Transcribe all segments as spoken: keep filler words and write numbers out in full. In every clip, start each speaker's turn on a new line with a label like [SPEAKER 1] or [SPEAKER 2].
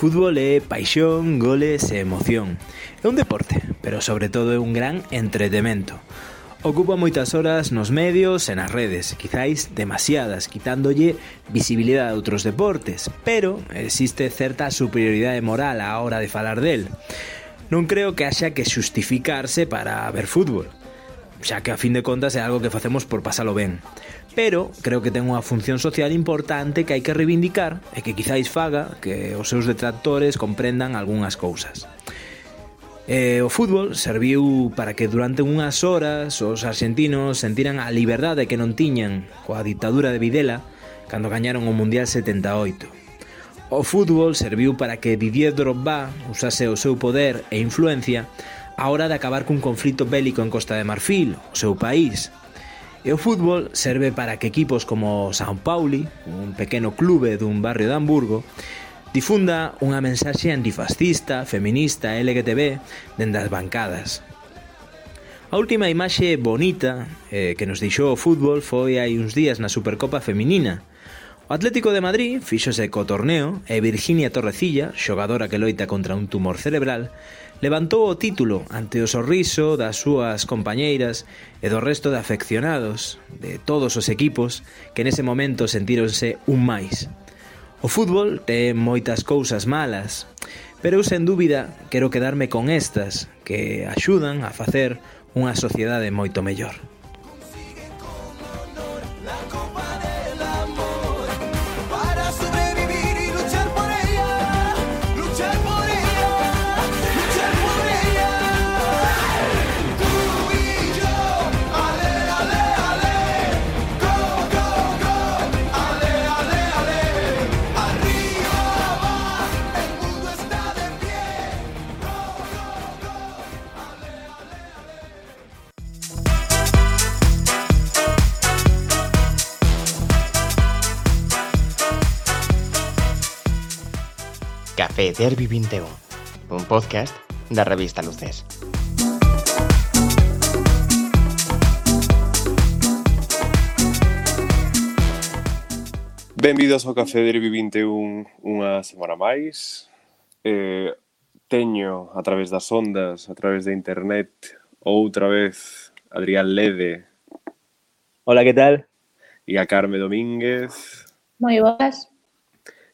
[SPEAKER 1] fútbol é paixón, goles e emoción. É un deporte, pero sobre todo é un gran entretemento. Ocupa moitas horas nos medios e nas redes, quizáis demasiadas, quitándolle visibilidade a outros deportes, pero existe certa superioridade moral á hora de falar del. Non creo que haxa que xustificarse para ver fútbol, xa que a fin de contas é algo que facemos por pasalo ben. Pero creo que ten unha función social importante que hai que reivindicar e que quizáis faga que os seus detractores comprendan algunhas cousas. E o fútbol serviu para que durante unhas horas os argentinos sentiran a liberdade que non tiñan coa ditadura de Videla cando gañaron o Mundial setenta e oito. O fútbol serviu para que Didier Drogba usase o seu poder e influencia a hora de acabar cun conflito bélico en Costa de Marfil, o seu país. E o fútbol serve para que equipos como São Paulo, un pequeno clube dun barrio de Hamburgo, difunda unha mensaxe antifascista, feminista e L G T B dende as bancadas. A última imaxe bonita eh, que nos deixou o fútbol foi hai uns días na Supercopa Feminina. O Atlético de Madrid fíxose co torneo e Virginia Torrecilla, xogadora que loita contra un tumor cerebral, levantou o título ante o sorriso das súas compañeiras e do resto de afeccionados de todos os equipos que nese momento sentíronse un máis. O fútbol ten moitas cousas malas, pero eu sen dúbida quero quedarme con estas que axudan a facer unha sociedade moito mellor.
[SPEAKER 2] Café Derbi vinte e un, un podcast da revista Luces.
[SPEAKER 3] Benvidos ao Café Derbi vinte e un unha semana máis. Eh, teño a través das ondas, a través de internet, outra vez Adrián Lede.
[SPEAKER 1] Hola, que tal?
[SPEAKER 3] E a Carme Domínguez.
[SPEAKER 4] Moi boas.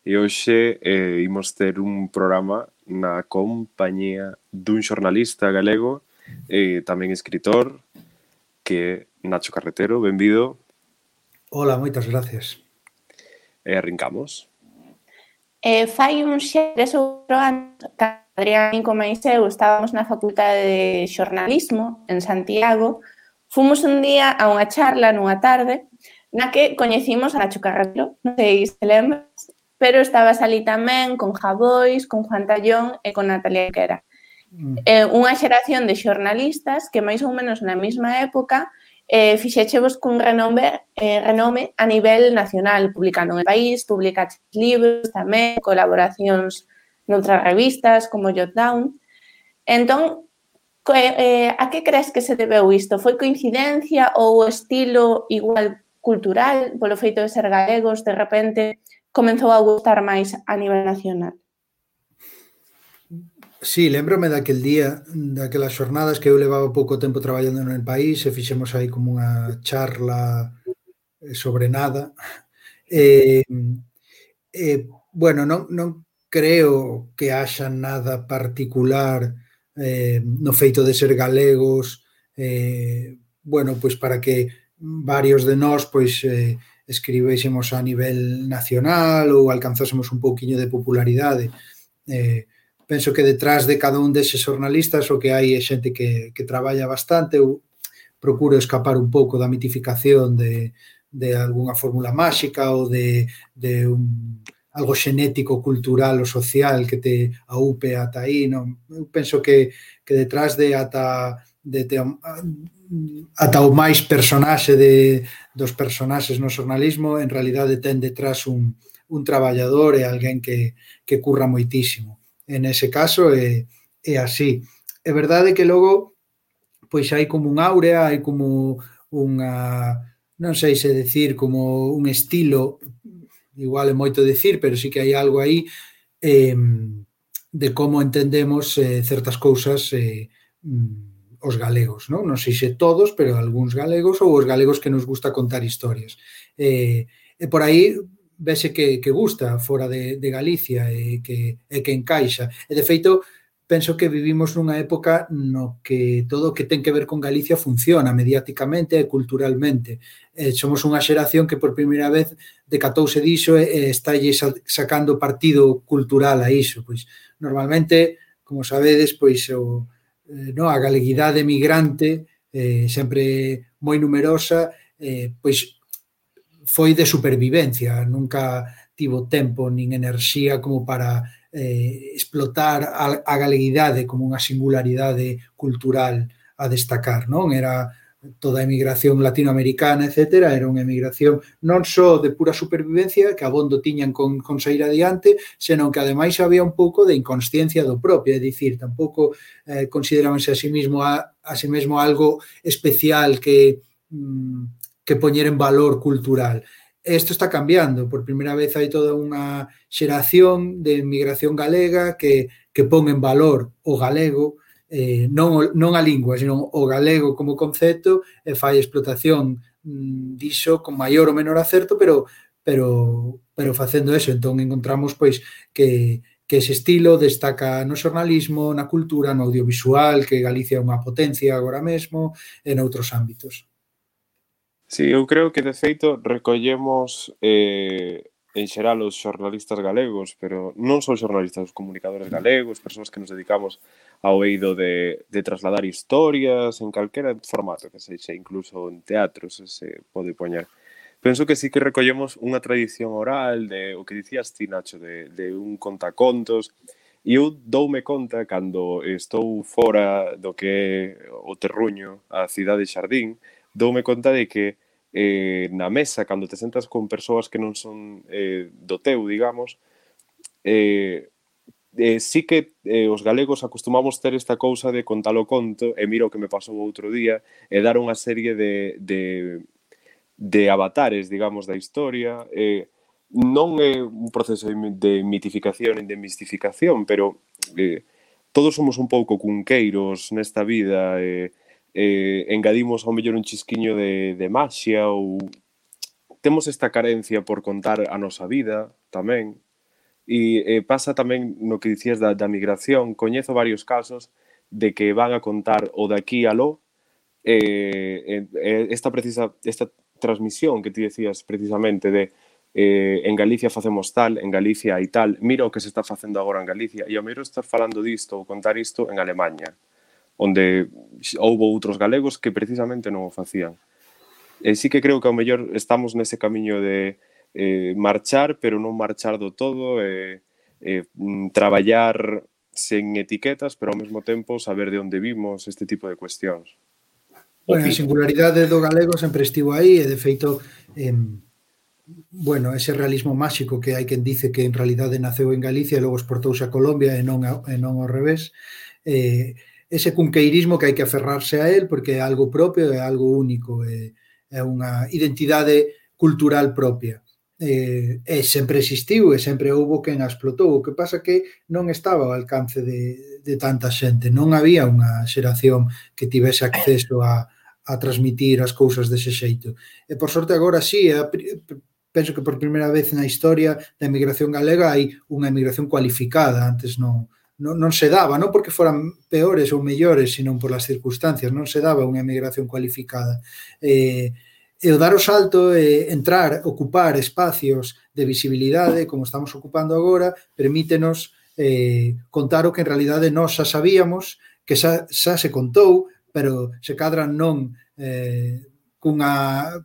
[SPEAKER 3] E hoxe eh, imos ter un programa na compañía dun xornalista galego e tamén escritor que é Nacho Carretero. Benvido.
[SPEAKER 5] Hola, moitas gracias.
[SPEAKER 3] E arrincamos.
[SPEAKER 4] Eh, fai uns tres ou catro anos, Adrián e como eu estábamos na Facultade de Xornalismo en Santiago, fomos un día a unha charla nunha tarde na que coñecimos a Nacho Carretero, non sei se lembras, pero estabas ali tamén con Javois, con Juan Tallón e con Natalia Quera. Mm. Eh, unha xeración de xornalistas que máis ou menos na mesma época eh, fixechevos cun renome, eh, renome a nivel nacional, publicando en El País, publicaches libros tamén, colaboracións noutras revistas como Jotdown. Entón, eh, a que crees que se debeu isto? Foi coincidencia ou o estilo igual cultural, polo feito de ser galegos, de repente comenzou a gustar máis a nivel nacional?
[SPEAKER 5] Sí, lembrome daquel día, daquelas xornadas que eu levaba pouco tempo traballando no país e fixemos aí como unha charla sobre nada. E, e bueno, non, non creo que haxa nada particular eh, no feito de ser galegos, eh, bueno, pois para que varios de nós, pois, eh, escribésemos a nivel nacional ou alcanzásemos un pouquiño de popularidade. Eh, penso que detrás de cada un deses xornalistas o que hai é xente que, que traballa bastante. Eu procuro escapar un pouco da mitificación de, de algunha fórmula máxica ou de, de un, algo xenético, cultural ou social que te aupe ata aí. Non? Eu penso que, que detrás de ata de, de, ata o máis personaxe de, dos personaxes no xornalismo, en realidade ten detrás un, un traballador e alguén que, que curra moitísimo. En ese caso é, é así. É verdade que logo pois hai como un áurea, hai como unha, non sei se decir, como un estilo, igual é moito decir, pero sí que hai algo aí eh, de como entendemos eh, certas cousas eh, os galegos, non? Non sei se todos, pero algúns galegos ou os galegos que nos gusta contar historias. E, e por aí vese que, que gusta fora de, de Galicia e que, e que encaixa. E de feito, penso que vivimos nunha época no que todo o que ten que ver con Galicia funciona mediáticamente e culturalmente. Eh, somos unha xeración que por primeira vez decatouse diso e, e está sacando partido cultural a iso. Pois normalmente, como sabedes, pois o, eh, no, a galeguidade migrante eh, sempre moi numerosa, eh, pois foi de supervivencia, nunca tivo tempo nin enerxía como para eh, explotar a, a galeguidade como unha singularidade cultural a destacar, non? Era toda a emigración latinoamericana, etcétera, era unha emigración non só de pura supervivencia, que abondo tiñan con, con sair adiante, senón que ademais había un pouco de inconsciencia do propio, é dicir, tampouco eh, considerabanse a sí mismo a, a sí mesmo algo especial que mm, que poñer en valor cultural. Isto está cambiando, por primeira vez hai toda unha xeración de emigración galega que, que pon en valor o galego, eh, non, non a lingua, senón o galego como concepto, e fai explotación mm, diso con maior ou menor acerto, pero, pero, pero facendo eso, entón encontramos pois que que ese estilo destaca no xornalismo, na cultura, no audiovisual, que Galicia é unha potencia agora mesmo, e noutros ámbitos.
[SPEAKER 3] Sí, eu creo que de feito recollemos eh, en xeral os xornalistas galegos, pero non só xornalistas, os comunicadores galegos, persoas que nos dedicamos ao eido de, de trasladar historias en calquera formato, que sexa incluso en teatros, se pode poñer. Penso que sí que recollemos unha tradición oral de o que dicías ti, Nacho, de, de un contacontos, e eu doume conta cando estou fora do que é o terruño, a cidade xardín, doume conta de que eh, na mesa, cando te sentas con persoas que non son eh, do teu, digamos, eh, eh, sí que eh, os galegos acostumamos ter esta cousa de contar o conto, e mira o que me pasou outro día, e dar unha serie de, de, de avatares, digamos, da historia. Eh, non é un proceso de mitificación e de mistificación, pero eh, todos somos un pouco cunqueiros nesta vida, e eh, Eh, engadimos ao mellor un chisquiño de, de maxia, ou temos esta carencia por contar a nosa vida tamén, e eh, pasa tamén no que dicías da, da migración. Coñezo varios casos de que van a contar o de aquí aló, eh, eh, esta precisa esta transmisión que ti decías precisamente de eh, en Galicia facemos tal, en Galicia hai tal, mira o que se está facendo agora en Galicia, e ao mellor estar falando disto ou contar isto en Alemanha, onde houbo outros galegos que precisamente non o facían. E sí que creo que ao mellor estamos nese camiño de eh, marchar, pero non marchar do todo, e eh, eh, traballar sen etiquetas, pero ao mesmo tempo saber de onde vimos, este tipo de cuestións.
[SPEAKER 5] Bueno, a singularidade do galego sempre estivo aí, e de feito, eh, bueno, ese realismo máxico que hai quen dice que en realidade naceu en Galicia e logo exportouse a Colombia e non, a, e non ao revés, eh, ese cunqueirismo que hai que aferrarse a él porque é algo propio, é algo único, é, é unha identidade cultural propia. E, e sempre existiu e sempre houbo quen a explotou. O que pasa que non estaba ao alcance de, de tanta xente, non había unha xeración que tivese acceso a, a transmitir as cousas dese xeito. E por sorte agora sí, a, penso que por primeira vez na historia da emigración galega hai unha emigración cualificada, antes non Non, non se daba, non porque foran peores ou mellores, sino por as circunstancias, non se daba unha emigración cualificada. E, e o dar o salto, e entrar, ocupar espacios de visibilidade, como estamos ocupando agora, permítenos eh, contar o que en realidade nós xa sabíamos, que xa, xa se contou, pero se cadra non eh, cunha,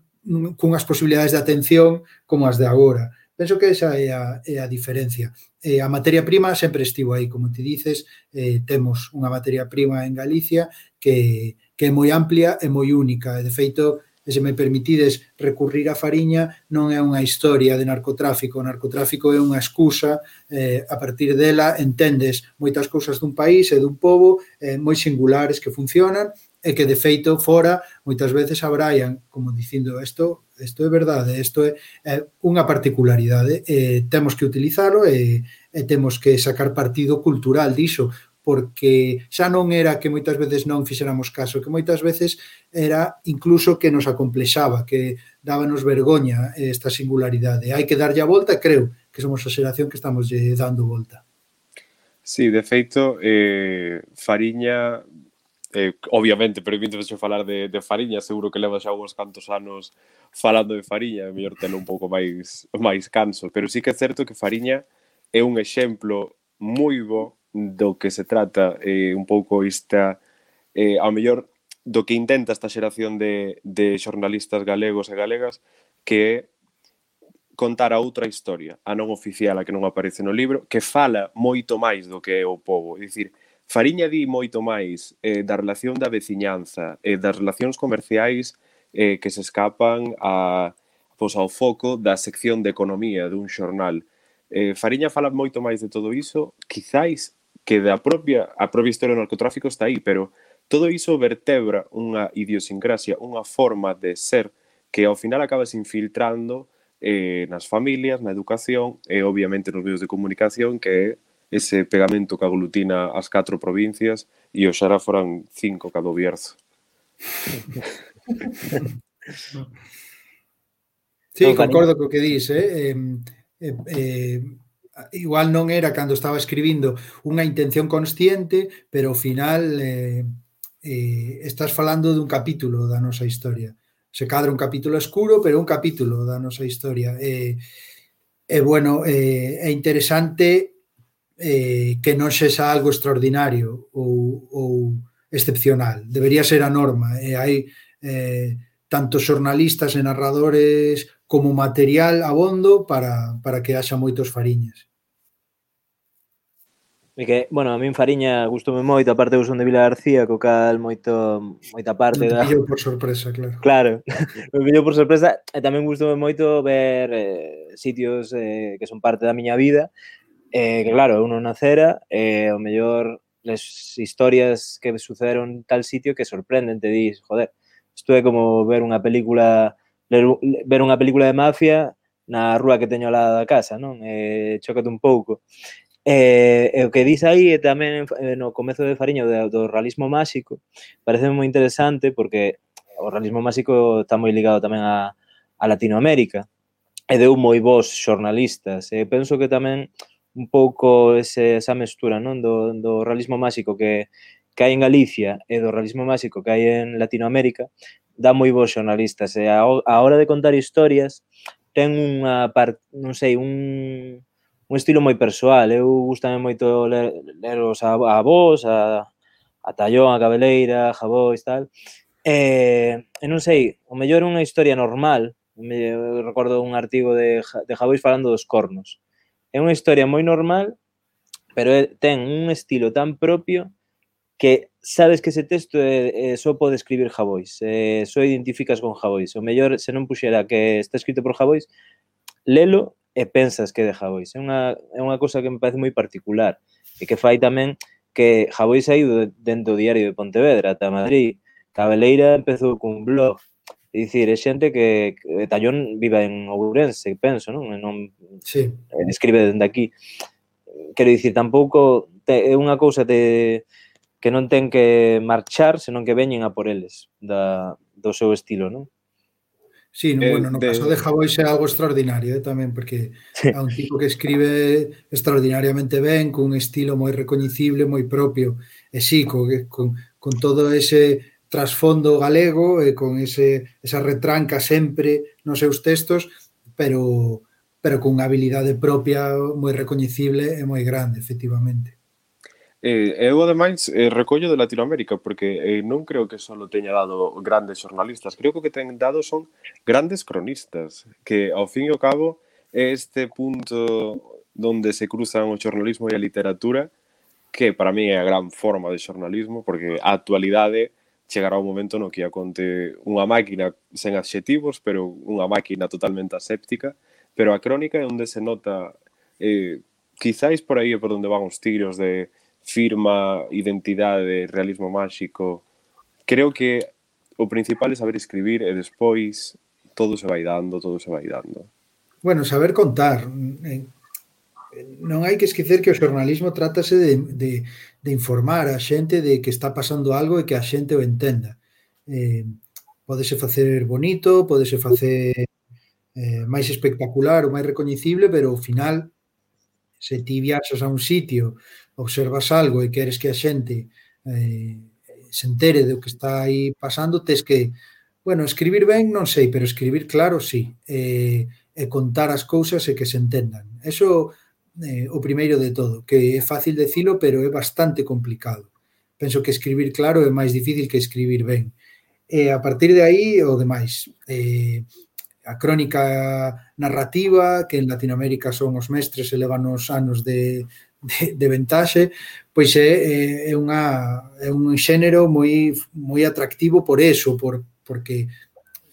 [SPEAKER 5] cunhas posibilidades de atención como as de agora. Penso que esa é a, é a diferencia. Eh, a materia prima sempre estivo aí, como te dices, eh, temos unha materia prima en Galicia que, que é moi amplia e moi única. E, de feito, se me permitides recurrir á fariña, non é unha historia de narcotráfico. O narcotráfico é unha excusa, eh, a partir dela entendes moitas cousas dun país e dun pobo eh, moi singulares que funcionan, e que de feito fora moitas veces abraian como dicindo isto, isto é verdade, isto é, é unha particularidade, e temos que utilizalo e, e temos que sacar partido cultural diso, porque xa non era que moitas veces non fixéramos caso, que moitas veces era incluso que nos acomplexaba, que dábanos vergoña esta singularidade. Hai que darlle a volta e creo que somos a xeración que estamos dando volta.
[SPEAKER 3] Sí, de feito, eh, Fariña, eh, obviamente, permíteme falar de, de Fariña, seguro que leva xa uns cantos anos falando de Fariña, é mellor telo un pouco máis, máis canso, pero sí que é certo que Fariña é un exemplo moi bo do que se trata eh, un pouco esta, eh, ao mellor do que intenta esta xeración de, de xornalistas galegos e galegas, que é contar a outra historia, a non oficial, a que non aparece no libro, que fala moito máis do que é o pobo. É dicir, Fariña di moito máis eh, da relación da veciñanza, eh, das relacións comerciais eh, que se escapan a, pois, ao foco da sección de economía dun xornal. Eh, Fariña fala moito máis de todo iso, quizáis que da propia, a propia historia do narcotráfico está aí, pero todo iso vertebra unha idiosincrasia, unha forma de ser que ao final acaba se infiltrando eh, nas familias, na educación e obviamente nos medios de comunicación, que é ese pegamento que aglutina as catro provincias e oxalá foran cinco cada Bierzo.
[SPEAKER 5] Sí, concordo co que dis, eh? Eh, eh, eh, igual non era cando estaba escribindo unha intención consciente, pero ao final eh, eh, estás falando dun capítulo da nosa historia. Se cadra un capítulo escuro, pero un capítulo da nosa historia. E, eh, eh, bueno, eh, é interesante eh, que non sexa algo extraordinario ou, ou excepcional. Debería ser a norma. E hai eh, tanto xornalistas e narradores como material abondo para, para que haxa moitos Fariñas.
[SPEAKER 1] E que, bueno, a min Fariña gustoume moito, aparte eu son de Vila García, co cal moito, moita parte
[SPEAKER 5] non te
[SPEAKER 1] da...
[SPEAKER 5] pillo por sorpresa, claro.
[SPEAKER 1] Claro, me pillo por sorpresa, e tamén gustoume moito ver eh, sitios eh, que son parte da miña vida, eh, que claro, eu non nacera, e eh, o mellor les historias que sucederon en tal sitio que sorprenden, te dis, joder, isto é como ver unha película, ler, ver unha película de mafia na rúa que teño ao lado da casa, non? Eh, chócate un pouco. E, e o que dis aí é tamén no comezo de Fariña do, do realismo máxico, parece moi interesante porque o realismo máxico está moi ligado tamén a, a Latinoamérica e deu moi bons xornalistas, e penso que tamén un pouco ese, esa mestura, non, do, do realismo máxico que, que hai en Galicia e do realismo máxico que hai en Latinoamérica dá moi bons xornalistas, e a, a hora de contar historias ten unha parte, non sei, un un estilo moi persoal. Eu gustame moito ler, ler os avós, a, a Tallón, a Cabeleira, a Javois, tal. E, e non sei, o mellor unha historia normal. Me, recordo un artigo de, de Javois falando dos cornos. É unha historia moi normal, pero é, ten un estilo tan propio que sabes que ese texto é, é, só pode escribir Javois. É, só identificas con Javois. O mellor, se non puxera que está escrito por Javois, lelo e pensas que é de Javois. É unha, é unha cosa que me parece moi particular e que fai tamén que Javois ha ido dentro do diario de Pontevedra ata Madrid. Cabeleira empezou cun blog. É dicir, é xente que, que Tallón vive en Ourense, penso, non? non
[SPEAKER 5] sí.
[SPEAKER 1] Escribe dende aquí. Quero dicir, tampouco te, é unha cousa de, que non ten que marchar, senón que veñen a por eles da, do seu estilo, non?
[SPEAKER 5] Sí, no,
[SPEAKER 3] Eh,
[SPEAKER 5] bueno, no
[SPEAKER 3] de...
[SPEAKER 5] caso de Javois é algo extraordinario eh, tamén, porque é un tipo que escribe extraordinariamente ben, cun estilo moi recoñecible, moi propio, e sí, con, con, con todo ese trasfondo galego e con ese, esa retranca sempre nos seus textos, pero, pero con unha habilidade propia moi recoñecible e moi grande, efectivamente.
[SPEAKER 3] Eh, eu, ademais, eh, recollo de Latinoamérica, porque eh, non creo que só teña dado grandes xornalistas, creo que o que ten dado son grandes cronistas, que, ao fin e ao cabo, é este punto donde se cruzan o xornalismo e a literatura, que para mí é a gran forma de xornalismo, porque a actualidade chegará un momento no que a conte unha máquina sen adxetivos, pero unha máquina totalmente aséptica, pero a crónica é onde se nota, eh, quizáis por aí é por onde van os tiros de firma, identidade, realismo máxico, creo que o principal é saber escribir e despois todo se vai dando, todo se vai dando.
[SPEAKER 5] Bueno, saber contar. Non hai que esquecer que o xornalismo trátase de, de, de informar a xente de que está pasando algo e que a xente o entenda. Eh, pódese facer bonito, pódese facer eh, máis espectacular ou máis recoñecible, pero ao final, se ti viaxas a un sitio, observas algo e queres que a xente eh, se entere do que está aí pasando, tes que, bueno, escribir ben non sei, pero escribir claro sí, e, e contar as cousas e que se entendan. Eso eh, o primeiro de todo, que é fácil decilo, pero é bastante complicado. Penso que escribir claro é máis difícil que escribir ben. E a partir de aí, o demais. Eh, a crónica narrativa, que en Latinoamérica son os mestres e levan os anos de, de, de ventaxe, pois é, é, unha, é un xénero moi, moi atractivo por eso, por, porque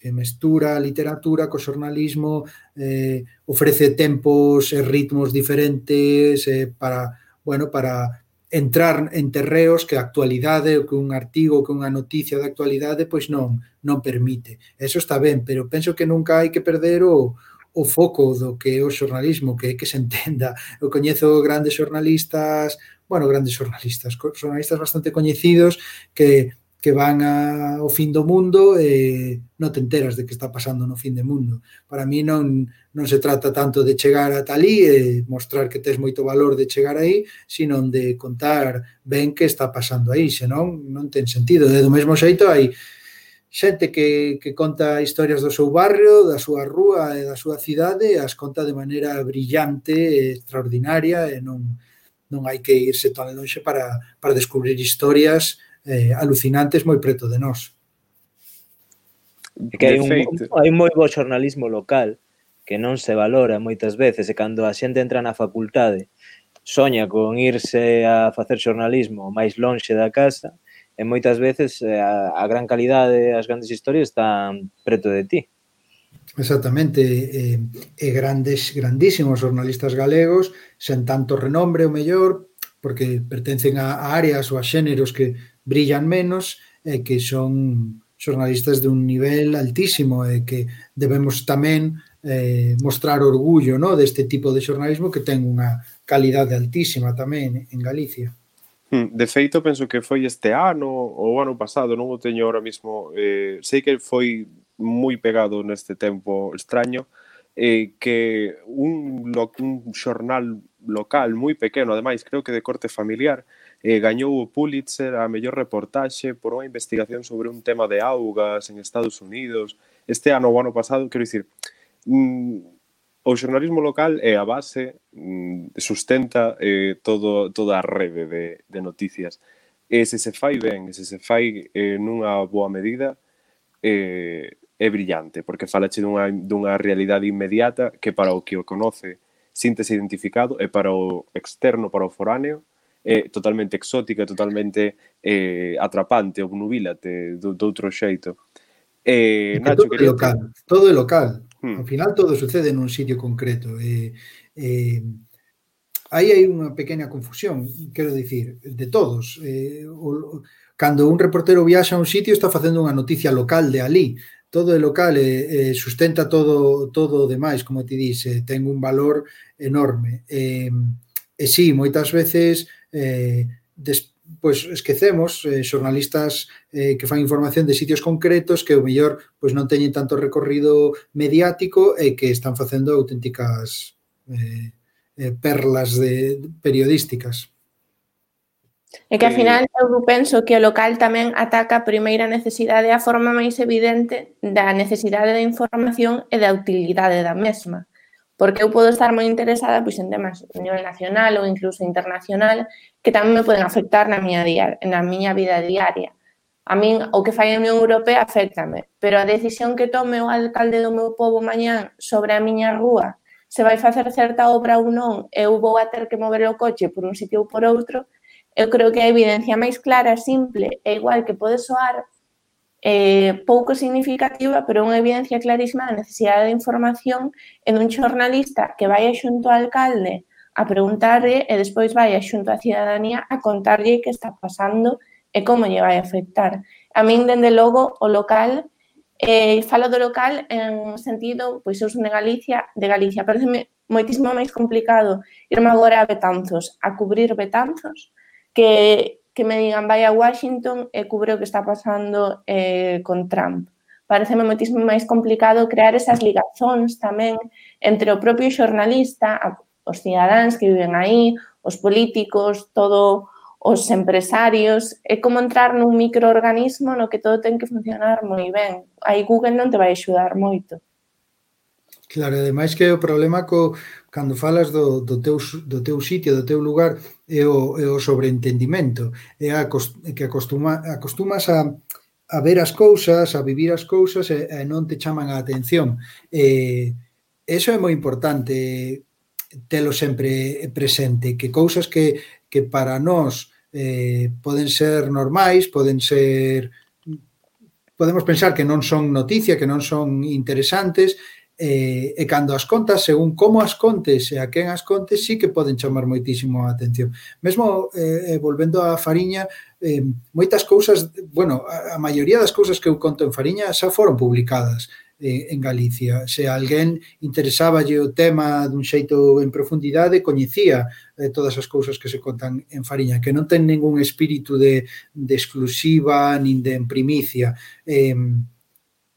[SPEAKER 5] mestura a literatura co xornalismo, eh, ofrece tempos e ritmos diferentes eh, para, bueno, para entrar en terreos que a actualidade, que un artigo, que unha noticia de actualidade, pois non, non permite. Eso está ben, pero penso que nunca hai que perder o, o foco do que é o xornalismo, que é que se entenda. Eu coñezo grandes xornalistas, bueno, grandes xornalistas, xornalistas bastante coñecidos que que van a, ao fin do mundo e non te enteras de que está pasando no fin do mundo. Para mí non, non se trata tanto de chegar ata ali e mostrar que tes moito valor de chegar aí, sino de contar ben que está pasando aí, senón non ten sentido. De do mesmo xeito hai xente que, que conta historias do seu barrio, da súa rúa e da súa cidade, e as conta de maneira brillante e extraordinaria e non, non hai que irse tan longe para, para descubrir historias Eh, alucinantes moi preto de nós.
[SPEAKER 1] É que hai un, hai un moi bo xornalismo local que non se valora moitas veces, e cando a xente entra na facultade soña con irse a facer xornalismo máis lonxe da casa, e moitas veces a, a gran calidade, as grandes historias están preto de ti.
[SPEAKER 5] Exactamente, e, e grandes, grandísimos xornalistas galegos, sen tanto renombre o mellor, porque pertencen a, a áreas ou a xéneros que brillan menos e que son xornalistas de un nivel altísimo e que debemos tamén eh, mostrar orgullo, no, deste tipo de xornalismo que ten unha calidade altísima tamén en Galicia.
[SPEAKER 3] De feito, penso que foi este ano ou o ano pasado, non o teño ahora mismo, eh, sei que foi moi pegado neste tempo extraño, eh, que un, lo, un xornal local moi pequeno, ademais, creo que de corte familiar, eh, gañou o Pulitzer a mellor reportaxe por unha investigación sobre un tema de augas en Estados Unidos. Este ano ou ano pasado, quero dicir, mm, o xornalismo local é a base, mm, sustenta eh, todo, toda a rede de, de noticias. E se se fai ben, se se fai eh, nunha boa medida, eh, é brillante, porque falache dunha, dunha realidade inmediata que para o que o conoce síntese identificado, e para o externo, para o foráneo, é totalmente exótica, totalmente eh, atrapante, obnubílate do, do outro xeito. Eh,
[SPEAKER 5] Nacho, todo é local, te... todo é local. Hmm. Ao final todo sucede nun sitio concreto. E, eh, aí hai unha pequena confusión, quero dicir, de todos. Eh, o, cando un reportero viaxa a un sitio está facendo unha noticia local de ali. Todo é local e, e sustenta todo todo o demais, como ti dice, ten un valor enorme. E, e sí, moitas veces eh, des, pois esquecemos eh, xornalistas eh, que fan información de sitios concretos que o mellor pois non teñen tanto recorrido mediático e que están facendo auténticas eh, eh, perlas de, de periodísticas.
[SPEAKER 4] É que, ao final, eu penso que o local tamén ataca a primeira necesidade, a forma máis evidente da necesidade de información e da utilidade da mesma. Porque eu podo estar moi interesada pois, en temas a nivel nacional ou incluso internacional que tamén me poden afectar na miña, diaria, na miña vida diaria. A min, o que fai a Unión Europea afectame, pero a decisión que tome o alcalde do meu pobo mañán sobre a miña rúa, se vai facer certa obra ou non, eu vou a ter que mover o coche por un sitio ou por outro, eu creo que a evidencia máis clara, simple e igual que pode soar eh, pouco significativa, pero unha evidencia clarísima da necesidade de información e dun xornalista que vai xunto ao alcalde a preguntarlle e despois vai xunto á cidadanía a contarlle que está pasando e como lle vai afectar. A min, dende logo, o local, eh, falo do local en sentido, pois eu son de Galicia, de Galicia, pareceme moitísimo máis complicado irme agora a Betanzos, a cubrir Betanzos, que, que me digan vai a Washington e cubre o que está pasando eh, con Trump. Pareceme moitísimo máis complicado crear esas ligazóns tamén entre o propio xornalista, os cidadáns que viven aí, os políticos, todo os empresarios. É como entrar nun microorganismo no que todo ten que funcionar moi ben. Aí Google non te vai axudar moito.
[SPEAKER 5] Claro, ademais que o problema co, cando falas do, do, teu, do teu sitio, do teu lugar, é o, é o sobreentendimento, é a, que acostuma, acostumas a, a ver as cousas, a vivir as cousas e, e non te chaman a atención. E, eso é moi importante, telo sempre presente, que cousas que, que para nós eh, poden ser normais, poden ser... Podemos pensar que non son noticia, que non son interesantes, E, e cando as contas, según como as contes e a quen as contes, sí que poden chamar moitísimo a atención. Mesmo, eh, volvendo á Fariña, eh, moitas cousas, bueno, a, a maioría das cousas que eu conto en Fariña xa foron publicadas eh, en Galicia. Se alguén interesáballe o tema dun xeito en profundidade, coñecía eh, todas as cousas que se contan en Fariña, que non ten ningún espírito de, de exclusiva nin de primicia. Eh,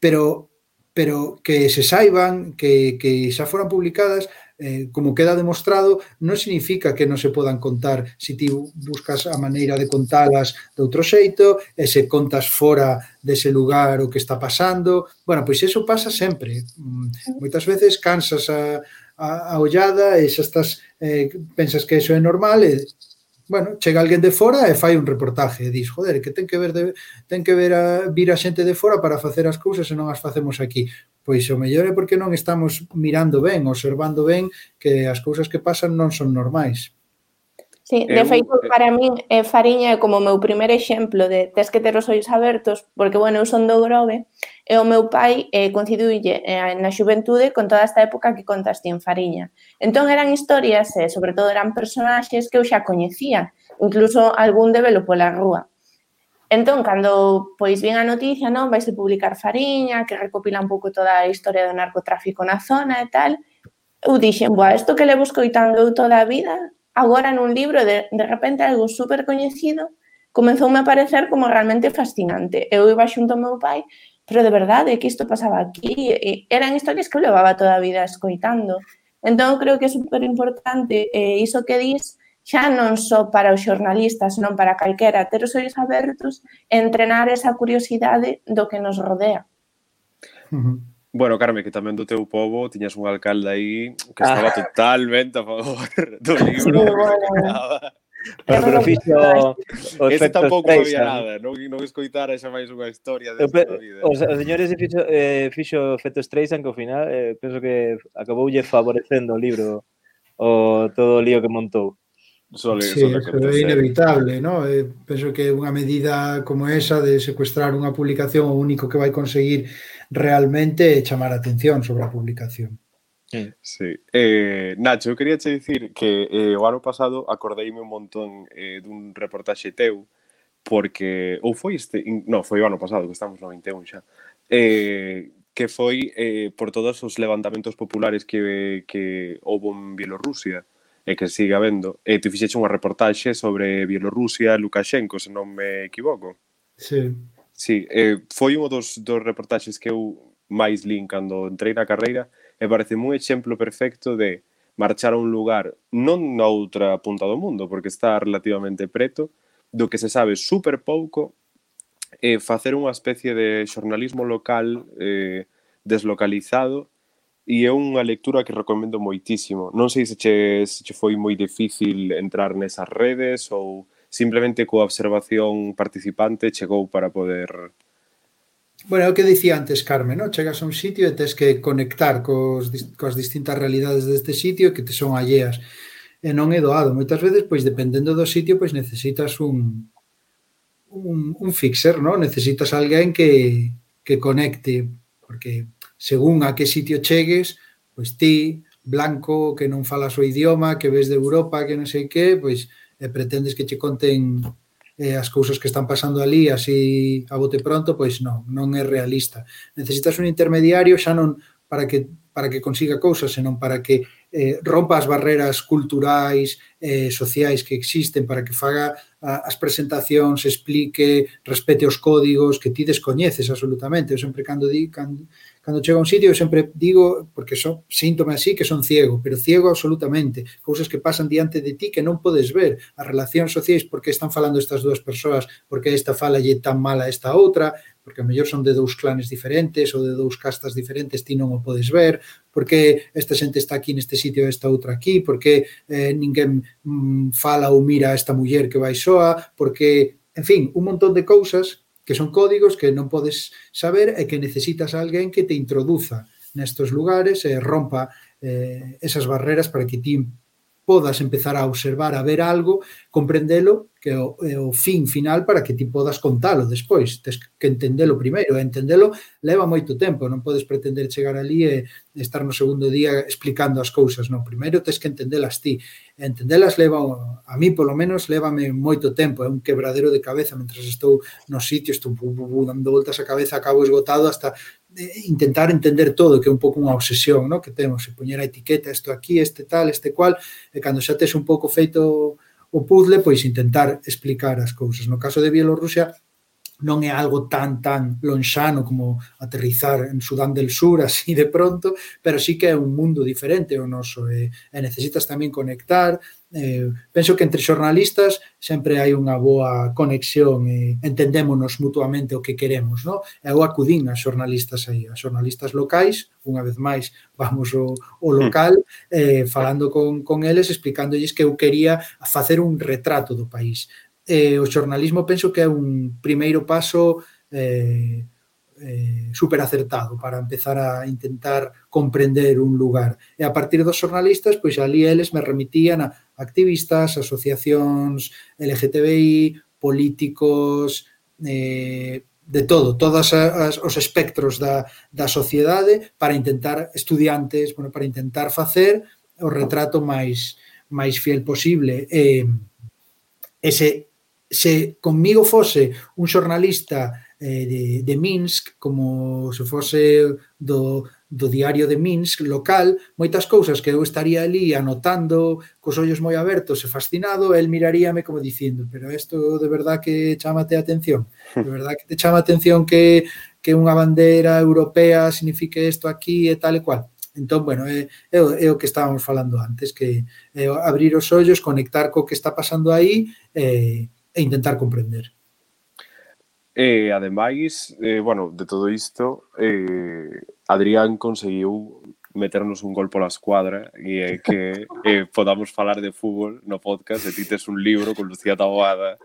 [SPEAKER 5] pero pero que se saiban, que, que xa foran publicadas, eh, como queda demostrado, non significa que non se podan contar se ti buscas a maneira de contalas de outro xeito, e se contas fora dese lugar o que está pasando. Bueno, pois iso pasa sempre. Moitas veces cansas a, a, a ollada e xa estás, eh, pensas que iso é normal e bueno, chega alguén de fora e fai un reportaje e dis, joder, que ten que ver de, ten que ver a, vir a xente de fora para facer as cousas e non as facemos aquí. Pois o mellor é porque non estamos mirando ben, observando ben que as cousas que pasan non son normais.
[SPEAKER 4] Sí, de feito, para min, eh, Fariña é como o meu primer exemplo de tes que ter os ollos abertos, porque, bueno, eu son do Grove, e o meu pai eh, coincidiulle eh, na xuventude con toda esta época que contas ti en Fariña. Entón, eran historias, e, eh, sobre todo, eran personaxes que eu xa coñecía, incluso algún de velo pola rúa. Entón, cando, pois, vin a noticia, non, vaise publicar Fariña, que recopila un pouco toda a historia do narcotráfico na zona e tal, eu dixen, boa, isto que levo escoitando eu toda a vida, agora nun libro, de, de repente, algo super coñecido, comezoume a parecer como realmente fascinante. Eu iba xunto ao meu pai, pero de verdade, que isto pasaba aquí? E eran historias que eu levaba toda a vida escoitando. Entón, creo que é super importante eh, iso que dis, xa non só para os xornalistas, senón para calquera, ter os ollos abertos e entrenar esa curiosidade do que nos rodea.
[SPEAKER 5] Uh-huh.
[SPEAKER 3] Bueno, Carme, que tamén do teu pobo tiñas un alcalde aí que estaba ah. totalmente a favor do libro. Sí, bueno.
[SPEAKER 1] Pero, pero fixo
[SPEAKER 3] o este tampouco había nada, non, non escoitara xa máis unha historia de esta vida.
[SPEAKER 1] Os, os señores fixo, eh, fixo efecto Streisand que ao final eh, penso que acaboulle favorecendo o libro o todo o lío que montou.
[SPEAKER 5] Sole, sí, sole que é inevitable, ¿no? Eh, penso que unha medida como esa de secuestrar unha publicación o único que vai conseguir realmente é chamar a atención sobre a publicación.
[SPEAKER 3] Sí. Eh, Nacho, eu quería che dicir que eh, o ano pasado acordeime un montón eh, dun reportaxe teu porque, ou foi este, no, foi o ano pasado, que estamos no vinte e un xa, eh, que foi eh, por todos os levantamentos populares que, que houve en Bielorrusia e que siga habendo. E tu fixeche unha reportaxe sobre Bielorrusia, Lukashenko, se non me equivoco.
[SPEAKER 5] Sí.
[SPEAKER 3] Sí, eh, foi un dos, dos reportaxes que eu máis lín cando entrei na carreira e parece un exemplo perfecto de marchar a un lugar non na outra punta do mundo, porque está relativamente preto, do que se sabe super pouco, e facer unha especie de xornalismo local eh, deslocalizado. E é unha lectura que recomendo moitísimo. Non sei se che, se che foi moi difícil entrar nesas redes ou simplemente coa observación participante chegou para poder...
[SPEAKER 5] Bueno, é o que dicía antes, Carme, ¿no? Chegas a un sitio e tes que conectar cos, cos distintas realidades deste sitio que te son alleas. E non é doado. Moitas veces, pois, dependendo do sitio, pois necesitas un, un, un fixer, ¿no? Necesitas alguén que, que conecte, porque... según a que sitio chegues, pois ti, blanco, que non falas o idioma, que ves de Europa, que non sei que, pois eh, pretendes que che conten eh, as cousas que están pasando ali así a bote pronto, pois non, non é realista. Necesitas un intermediario xa non para que para que consiga cousas, senón para que eh, rompa as barreras culturais, eh, sociais que existen, para que faga a, as presentacións, explique, respete os códigos que ti descoñeces absolutamente. Eu sempre cando di, cando, cando chego a un sitio, eu sempre digo, porque so, síntome así, que son ciego, pero ciego absolutamente. Cousas que pasan diante de ti que non podes ver. As relacións sociais, por que están falando estas dúas persoas, por que esta fala lle tan mal a esta outra, porque a mellor son de dous clanes diferentes ou de dous castas diferentes, ti non o podes ver, porque esta xente está aquí neste sitio e esta outra aquí, porque eh, ninguén mm, fala ou mira a esta muller que vai soa, porque, en fin, un montón de cousas que son códigos que non podes saber e que necesitas a alguén que te introduza nestes lugares e rompa eh, esas barreras para que ti podas empezar a observar, a ver algo, comprendelo, que é o, é o fin final para que ti podas contalo despois. Tens que entendelo primeiro, e entendelo leva moito tempo, non podes pretender chegar ali e estar no segundo día explicando as cousas, non, primeiro tens que entendelas ti. E entendelas leva, a mí polo menos, lévame moito tempo, é un quebradero de cabeza, mentre estou nos sitios, estou bu, bu, bu, dando voltas a cabeza, acabo esgotado hasta intentar entender todo, que é un pouco unha obsesión, no? Que temos, e poñer a etiqueta, isto aquí, este tal, este cual, e cando xa tes un pouco feito o puzzle, pois intentar explicar as cousas. No caso de Bielorrusia, non é algo tan, tan lonxano como aterrizar en Sudán del Sur, así de pronto, pero sí que é un mundo diferente o noso, e, e necesitas tamén conectar. Eh, penso que entre xornalistas sempre hai unha boa conexión e entendémonos mutuamente o que queremos, no? Eu acudín a xornalistas aí, a xornalistas locais, unha vez máis vamos ao, ao local, eh, falando con, con eles, explicándolles que eu quería facer un retrato do país. Eh, o xornalismo penso que é un primeiro paso eh, eh, super acertado para empezar a intentar comprender un lugar. E a partir dos xornalistas, pois ali eles me remitían a activistas, asociacións L G T B I, políticos, eh, de todo, todos as, os espectros da, da sociedade para intentar, estudiantes, bueno, para intentar facer o retrato máis, máis fiel posible. E, ese se conmigo fose un xornalista eh, de, de Minsk, como se fose do, do diario de Minsk local, moitas cousas que eu estaría ali anotando cos ollos moi abertos e fascinado, el miraríame como dicindo, pero isto de verdad que chámate a atención, de verdad que te chama a atención que, que unha bandeira europea signifique isto aquí e tal e cual. Entón, bueno, é, é, é o que estábamos falando antes, que é abrir os ollos, conectar co que está pasando aí e, e intentar comprender.
[SPEAKER 3] E, ademais, eh, bueno, de todo isto, eh, Adrián conseguiu meternos un gol pola escuadra e é que eh, podamos falar de fútbol no podcast e ti tes un libro con Lucía Taboada,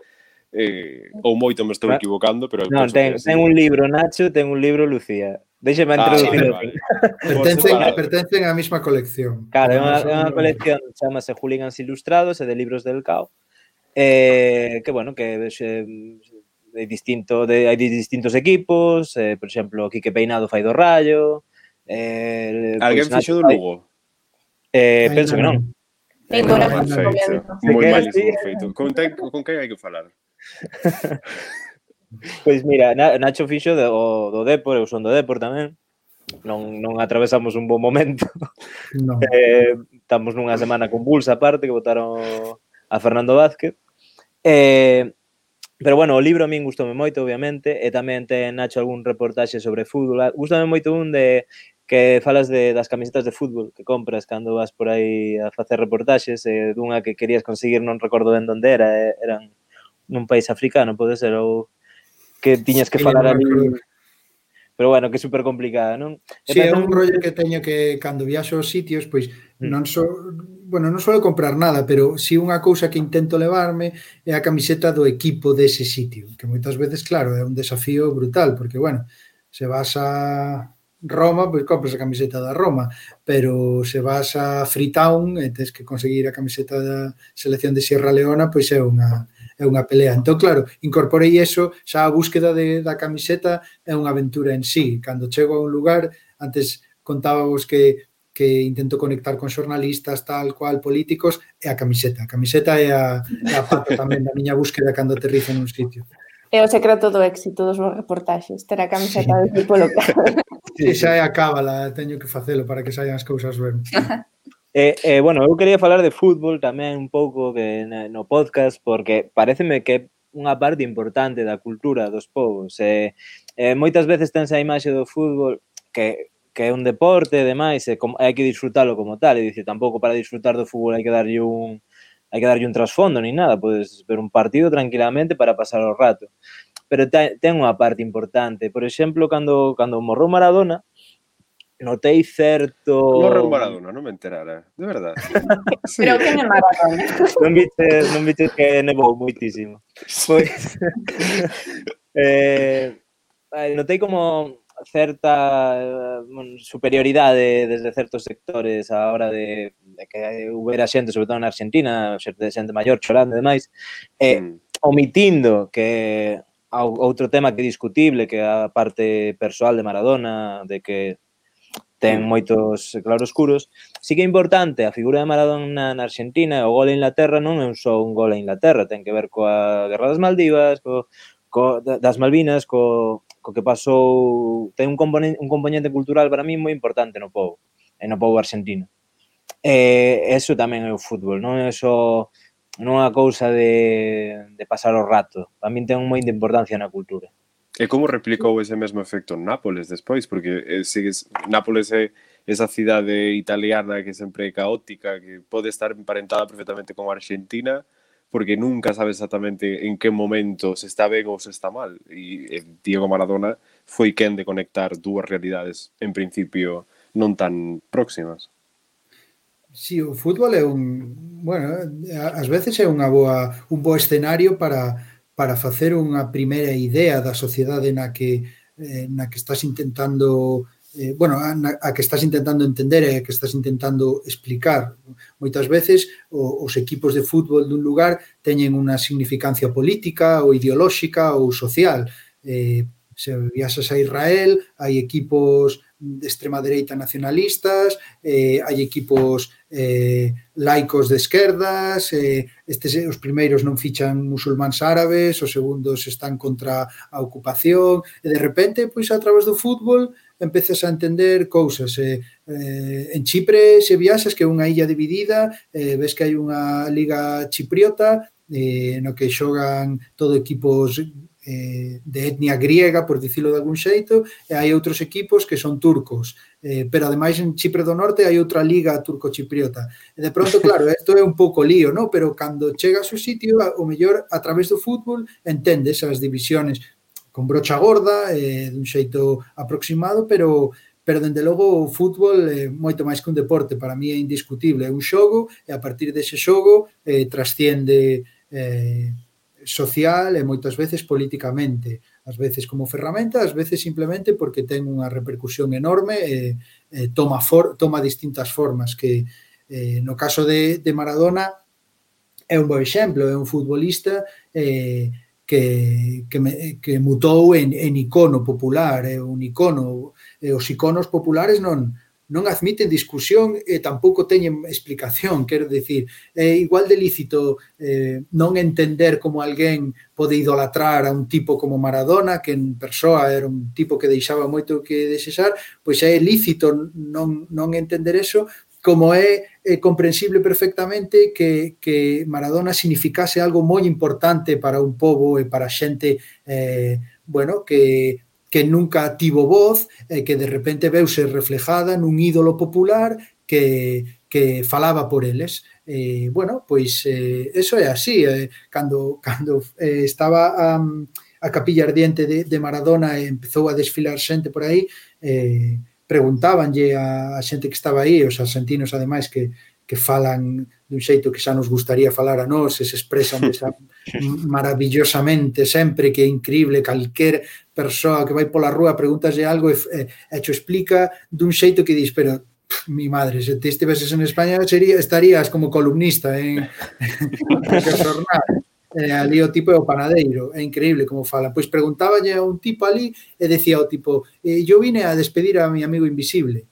[SPEAKER 3] eh, ou moito me estou equivocando, pero...
[SPEAKER 1] Non, ten, ten un libro Nacho, ten un libro Lucía. Déxeme
[SPEAKER 3] ah,
[SPEAKER 1] introducir.
[SPEAKER 3] Vale, vale.
[SPEAKER 5] Pertencen, pertencen á mesma colección.
[SPEAKER 1] Claro, é unha, unha colección, chamase Hooligans Ilustrados e de libros del Cao. Eh, que, bueno, que eh, de distinto, de, hai distintos equipos, eh, por exemplo, Quique Peinado fai do Rayo. Eh,
[SPEAKER 3] Alguén
[SPEAKER 1] pues,
[SPEAKER 3] fixo do Lugo?
[SPEAKER 1] Eh, penso que non.
[SPEAKER 4] Sí,
[SPEAKER 3] Bueno,
[SPEAKER 4] bueno,
[SPEAKER 3] perfecto. Moi malísimo feito. Con, ten, con que hai que falar?
[SPEAKER 1] Pois mira, Nacho fixo do, do Depor, eu son do Depor tamén. Non, non atravesamos un bon momento.
[SPEAKER 5] No.
[SPEAKER 1] Eh, estamos nunha semana convulsa aparte, que votaron a Fernando Vázquez. Eh, pero bueno, o libro a min gustoume moito, obviamente, e tamén ten Nacho algún reportaxe sobre fútbol. Gústame moito un de que falas de, das camisetas de fútbol que compras cando vas por aí a facer reportaxes, e dunha que querías conseguir, non recordo ben onde era, eran nun país africano, pode ser, ou que tiñas que falar ali... Pero bueno, que é super complicada, non?
[SPEAKER 5] Si, sí, é un rollo que teño que, cando viaxo aos sitios, pois, non so, bueno, non suelo comprar nada, pero si unha cousa que intento levarme é a camiseta do equipo dese sitio, que moitas veces, claro, é un desafío brutal, porque, bueno, se vas a Roma, pois compras a camiseta da Roma, pero se vas a Freetown e tens que conseguir a camiseta da selección de Sierra Leona, pois é unha... é unha pelea. Entón, claro, incorporei eso, xa a búsqueda de, da camiseta é unha aventura en sí. Cando chego a un lugar, antes contábamos que, que intento conectar con xornalistas, tal cual, políticos, é a camiseta. A camiseta é a, é a pata tamén da miña búsqueda cando aterrizo nun sitio.
[SPEAKER 4] É o secreto do éxito dos vos reportaxes, ter a camiseta sí. do equipo local.
[SPEAKER 5] Sí, xa é a cábala, teño que facelo para que saian as cousas ben.
[SPEAKER 1] Eh, eh, bueno, eu quería falar de fútbol tamén un pouco que no podcast, porque pareceme que é unha parte importante da cultura dos povos. Eh, eh, moitas veces tense a imaxe do fútbol que que é un deporte e demais, e como, hai que disfrutalo como tal, e dicir, tampouco para disfrutar do fútbol hai que darlle un hai que darlle un trasfondo ni nada, podes ver un partido tranquilamente para pasar o rato. Pero ten unha parte importante, por exemplo, cando cando morrou Maradona, notei certo...
[SPEAKER 3] Morreu Maradona, non me enterara, de verdade.
[SPEAKER 4] Sí. Pero quen é Maradona?
[SPEAKER 1] Non viches, non viches que nevou moitísimo. Pois, eh, notei como certa superioridade desde certos sectores a hora de, de que houbera xente, sobre todo na Argentina, xente, xente maior chorando e demais, eh, mm. omitindo que outro tema que é discutible, que é a parte persoal de Maradona, de que ten moitos claroscuros, sí que é importante a figura de Maradona na Argentina, o gol a Inglaterra non é un só un gol a Inglaterra, ten que ver coa Guerra das Maldivas, co, co, das Malvinas, co, co que pasou, ten un componente, un componente cultural para mí moi importante no povo, e no povo argentino. E eso tamén é o fútbol, non é só non é unha cousa de, de pasar o rato, para mí ten moita importancia na cultura.
[SPEAKER 3] E como replicou ese mesmo efecto en Nápoles despois? Porque eh, sigues, Nápoles é esa cidade italiana que sempre é caótica, que pode estar emparentada perfectamente con Argentina, porque nunca sabe exactamente en que momento se está ben ou se está mal. E eh, Diego Maradona foi quen de conectar dúas realidades, en principio, non tan próximas.
[SPEAKER 5] Sí, o fútbol é un... Bueno, ás veces é unha boa, un bo escenario para... para facer unha primeira idea da sociedade na que eh, na que estás intentando eh, bueno, a, a que estás intentando entender e a que estás intentando explicar. Moitas veces o, os equipos de fútbol dun lugar teñen unha significancia política ou ideolóxica ou social. Eh, se viaxas a Israel, hai equipos de extrema dereita nacionalistas, eh, hai equipos eh, laicos de esquerdas, eh, estes os primeiros non fichan musulmáns árabes, os segundos están contra a ocupación, e de repente, pois a través do fútbol, empezas a entender cousas. Eh, eh, en Chipre, se viaxas, que é unha illa dividida, eh, ves que hai unha liga chipriota, eh, no que xogan todo equipos eh, de etnia griega, por dicilo de algún xeito, e hai outros equipos que son turcos, eh, pero ademais en Chipre do Norte hai outra liga turco-chipriota. E de pronto, claro, isto é un pouco lío, ¿no? Pero cando chegas ao sitio, o mellor, a través do fútbol, entendes as divisiones con brocha gorda, eh, dun xeito aproximado, pero pero dende logo o fútbol é moito máis que un deporte, para mí é indiscutible, é un xogo, e a partir dese xogo eh, trasciende eh, social e moitas veces políticamente, ás veces como ferramenta, ás veces simplemente porque ten unha repercusión enorme e, e toma, for, toma distintas formas, que eh, no caso de, de Maradona é un bo exemplo, é un futbolista eh, que, que, me, que mutou en, en icono popular, é un icono, e os iconos populares non non admiten discusión e tampouco teñen explicación, quero dicir, é igual de lícito eh, non entender como alguén pode idolatrar a un tipo como Maradona, que en persoa era un tipo que deixaba moito que desexar, pois é lícito non, non entender eso, como é, é comprensible perfectamente que, que Maradona significase algo moi importante para un pobo e para xente, eh, bueno, que que nunca tivo voz e que de repente veuse reflejada nun ídolo popular que, que falaba por eles. Eh, bueno, pois eh, eso é así. Eh, cando cando eh, estaba a, a capilla ardiente de, de Maradona e empezou a desfilar xente por aí, eh, preguntábanlle a, a xente que estaba aí, os argentinos ademais que que falan dun xeito que xa nos gustaría falar a nós, e se expresan desa maravillosamente sempre, que é increíble, calquer persoa que vai pola rúa preguntaslle algo e, e, e xo explica dun xeito que dis, pero pff, mi madre, se te estiveses en España sería, estarías como columnista en, en que xornal. Eh, ali o tipo é o panadeiro, é increíble como falan. Pois preguntáballe a un tipo ali e decía o tipo, eh, yo vine a despedir a mi amigo invisible.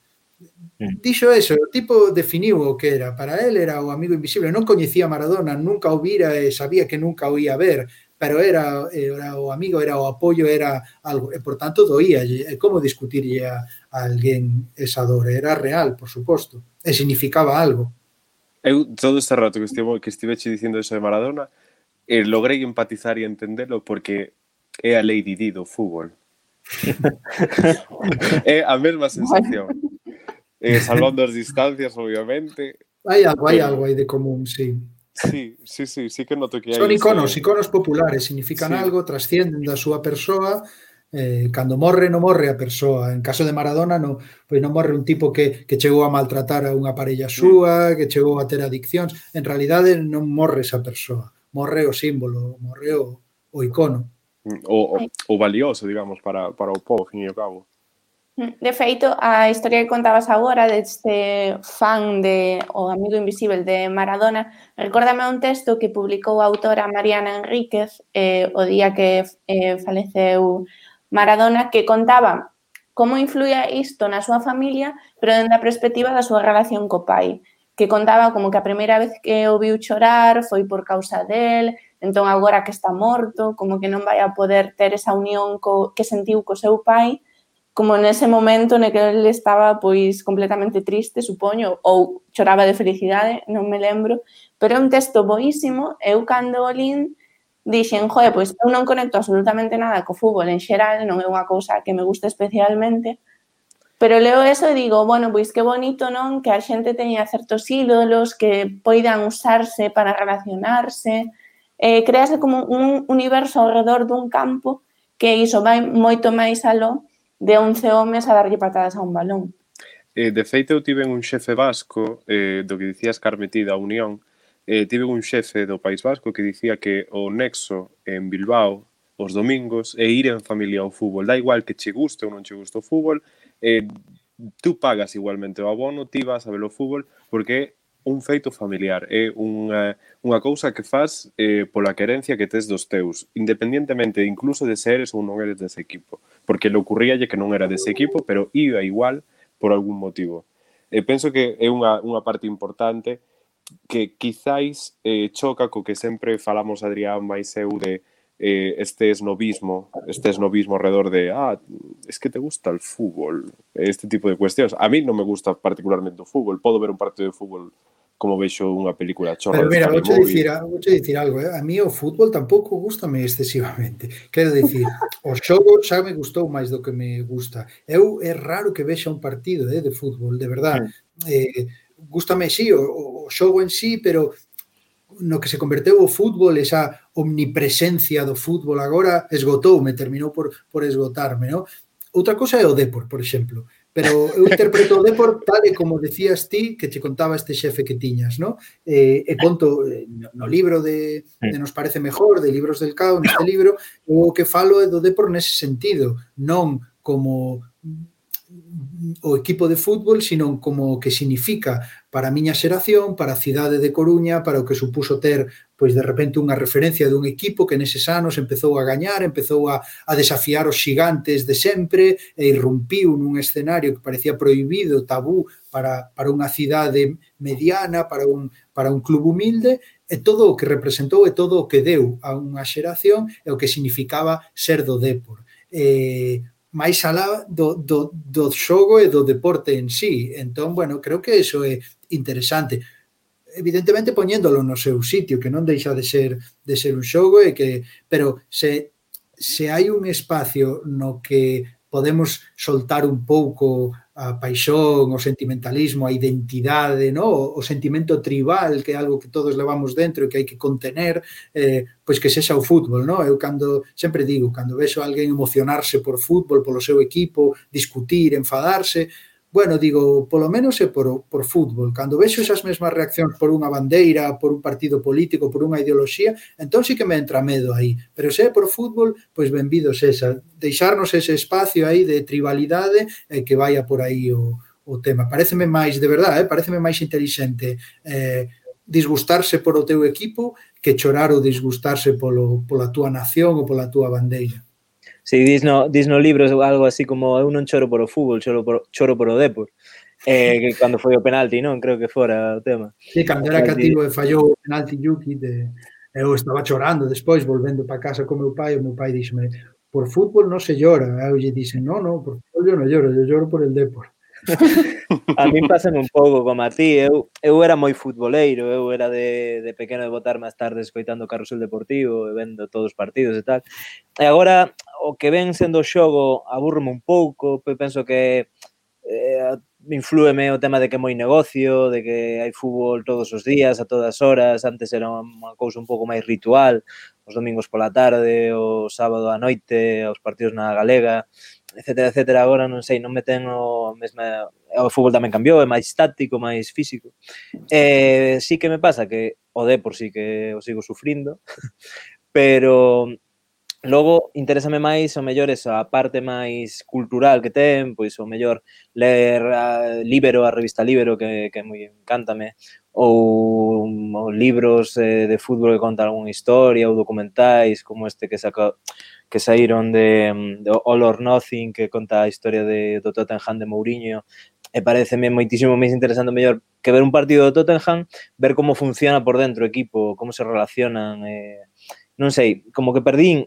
[SPEAKER 5] dixo eso, o tipo definiu o que era. Para él era o amigo invisible. Non coñecía a Maradona, nunca o vira e sabía que nunca o ia ver, pero era, era o amigo, era o apoio, era algo. E, por tanto, doía. E como discutirlle a, a alguén esa dor? Era real, por suposto. E significaba algo.
[SPEAKER 3] Eu, todo este rato que estive, que estiveche dicindo eso de Maradona, eh, logrei empatizar e entendelo porque é a Lady Di do fútbol. É a mesma sensación. Eh, salvando as distancias, obviamente.
[SPEAKER 5] Hai algo, hai
[SPEAKER 3] pero...
[SPEAKER 5] algo aí de común, sí.
[SPEAKER 3] Sí, sí, sí, sí que noto que hai...
[SPEAKER 5] Son iconos,
[SPEAKER 3] ese...
[SPEAKER 5] iconos populares, significan sí. algo, trascienden da súa persoa. Eh, cando morre, non morre a persoa. En caso de Maradona, no, pois non morre un tipo que, que chegou a maltratar a unha parella súa, que chegou a ter adiccións. En realidade non morre esa persoa, morre o símbolo, morre o, o icono.
[SPEAKER 3] O, o, o valioso, digamos, para, para o povo, fin e ao cabo.
[SPEAKER 4] De feito, a historia que contabas agora deste fan de O amigo invisible de Maradona recórdame un texto que publicou a autora Mariana Enríquez eh, o día que eh, faleceu Maradona, que contaba como influía isto na súa familia, pero dende a perspectiva da súa relación co pai, que contaba como que a primeira vez que o viu chorar foi por causa del, entón agora que está morto, como que non vai a poder ter esa unión co, que sentiu co seu pai, como nese momento no que ele estaba pois completamente triste, supoño, ou choraba de felicidade, non me lembro, pero é un texto boísimo. Eu cando o lín dixen, joe, pois eu non conecto absolutamente nada co fútbol en xeral, non é unha cousa que me gusta especialmente, pero leo eso e digo, bueno, pois que bonito, non, que a xente teña certos ídolos que poidan usarse para relacionarse, eh, crease como un universo ao redor dun campo que iso vai moito máis aló de once homes a darlle patadas a un balón.
[SPEAKER 3] Eh, de feito, eu tive un xefe vasco, eh, do que dicías Carmeti da Unión, eh, tive un xefe do País Vasco que dicía que o nexo en Bilbao os domingos é ir en familia ao fútbol. Da igual que che guste ou non che guste o fútbol, eh, tú pagas igualmente o abono, ti vas a ver o fútbol, porque é un feito familiar, é unha, unha cousa que faz eh, pola querencia que tes dos teus, independientemente incluso de se eres ou non eres dese equipo, porque le ocurríalle que non era dese equipo, pero iba igual por algún motivo. E penso que é unha, unha parte importante que quizáis eh, choca co que sempre falamos Adrián máis eu de eh, este esnovismo, este esnovismo alrededor de ah, es que te gusta el fútbol, este tipo de cuestións. A mí non me gusta particularmente o fútbol, podo ver un partido de fútbol como vexo unha película chorra.
[SPEAKER 5] Pero mira, vouche dicir, vouche dicir algo, eh? A mí o fútbol tampouco gustame excesivamente. Quero dicir, o xogo xa me gustou máis do que me gusta. Eu é raro que vexa un partido eh, de fútbol, de verdad. Eh, gústame, sí, o, o xogo en sí, pero no que se converteu o fútbol, esa omnipresencia do fútbol agora esgotoume, terminou por, por esgotarme, non? Outra cosa é o Depor, por exemplo. Pero eu interpreto o Depor tal e como decías ti que te contaba este xefe que tiñas, ¿no? Eh, e conto eh, no libro de, de Nos parece mejor, de Libros del Cao, neste libro, o que falo é do Depor nese sentido, non como o equipo de fútbol, sino como o que significa para a miña xeración, para a cidade de Coruña, para o que supuso ter, pois de repente, unha referencia dun equipo que neses anos empezou a gañar, empezou a, a desafiar os xigantes de sempre e irrumpiu nun escenario que parecía prohibido, tabú, para, para unha cidade mediana, para un, para un club humilde, e todo o que representou e todo o que deu a unha xeración e o que significaba ser do Depor. E máis alá do, do, do xogo e do deporte en sí. Entón, bueno, creo que eso é interesante. Evidentemente poñéndolo no seu sitio, que non deixa de ser de ser un xogo, e que, pero se, se hai un espacio no que podemos soltar un pouco a paixón, o sentimentalismo, a identidade, ¿no? o, o sentimento tribal, que é algo que todos levamos dentro e que hai que contener, eh, pois que sexa o fútbol, ¿no? Eu cando, sempre digo, cando vexo a alguén emocionarse por fútbol, polo seu equipo, discutir, enfadarse, bueno, digo, polo menos é por, por fútbol. Cando vexo esas mesmas reaccións por unha bandeira, por un partido político, por unha ideoloxía, entón sí que me entra medo aí. Pero se é por fútbol, pois benvidos esa. Deixarnos ese espacio aí de tribalidade e que vaya por aí o, o tema. Pareceme máis, de verdade, eh, pareceme máis inteligente eh, disgustarse por o teu equipo que chorar ou disgustarse polo, pola túa nación ou pola túa bandeira.
[SPEAKER 1] Si, dis no, dis no libro algo así como eu non choro por o fútbol, choro por, choro por o Depor. eh, que cando foi o penalti, non? Creo que fora o tema.
[SPEAKER 5] Sí, cando era cativo e fallou o penalti Yuki, de, eu estaba chorando despois, volvendo para casa con meu pai, e meu pai díxeme, por fútbol non se llora. Eu lle dixen, no, no, por fútbol yo non lloro, yo lloro por el Depor.
[SPEAKER 1] A min pásame un pouco como a ti, eu, eu era moi futboleiro, eu era de, de pequeno de botar máis tarde escoitando o Carrusel Deportivo e vendo todos os partidos e tal. E agora, o que ven sendo o xogo aburrome un pouco, penso que eh, inflúeme o tema de que é moi negocio, de que hai fútbol todos os días, a todas horas, antes era unha cousa un pouco máis ritual, os domingos pola tarde, o sábado á noite, os partidos na Galega, etcétera, etcétera. Agora non sei, non me ten o mesma... O fútbol tamén cambiou, é máis táctico, máis físico. Eh, sí que me pasa que o Depor sí que o sigo sufrindo, pero logo interésame máis o mellor esa parte máis cultural que ten, pois o mellor ler a Libero, a revista Libero, que, que moi encántame, ou, ou libros eh, de fútbol que contan algunha historia, ou documentais como este que saca, que saíron de, de All or Nothing, que conta a historia de, do Tottenham de Mourinho, e pareceme moitísimo máis interesante mellor que ver un partido do Tottenham, ver como funciona por dentro o equipo, como se relacionan, eh, non sei, como que perdín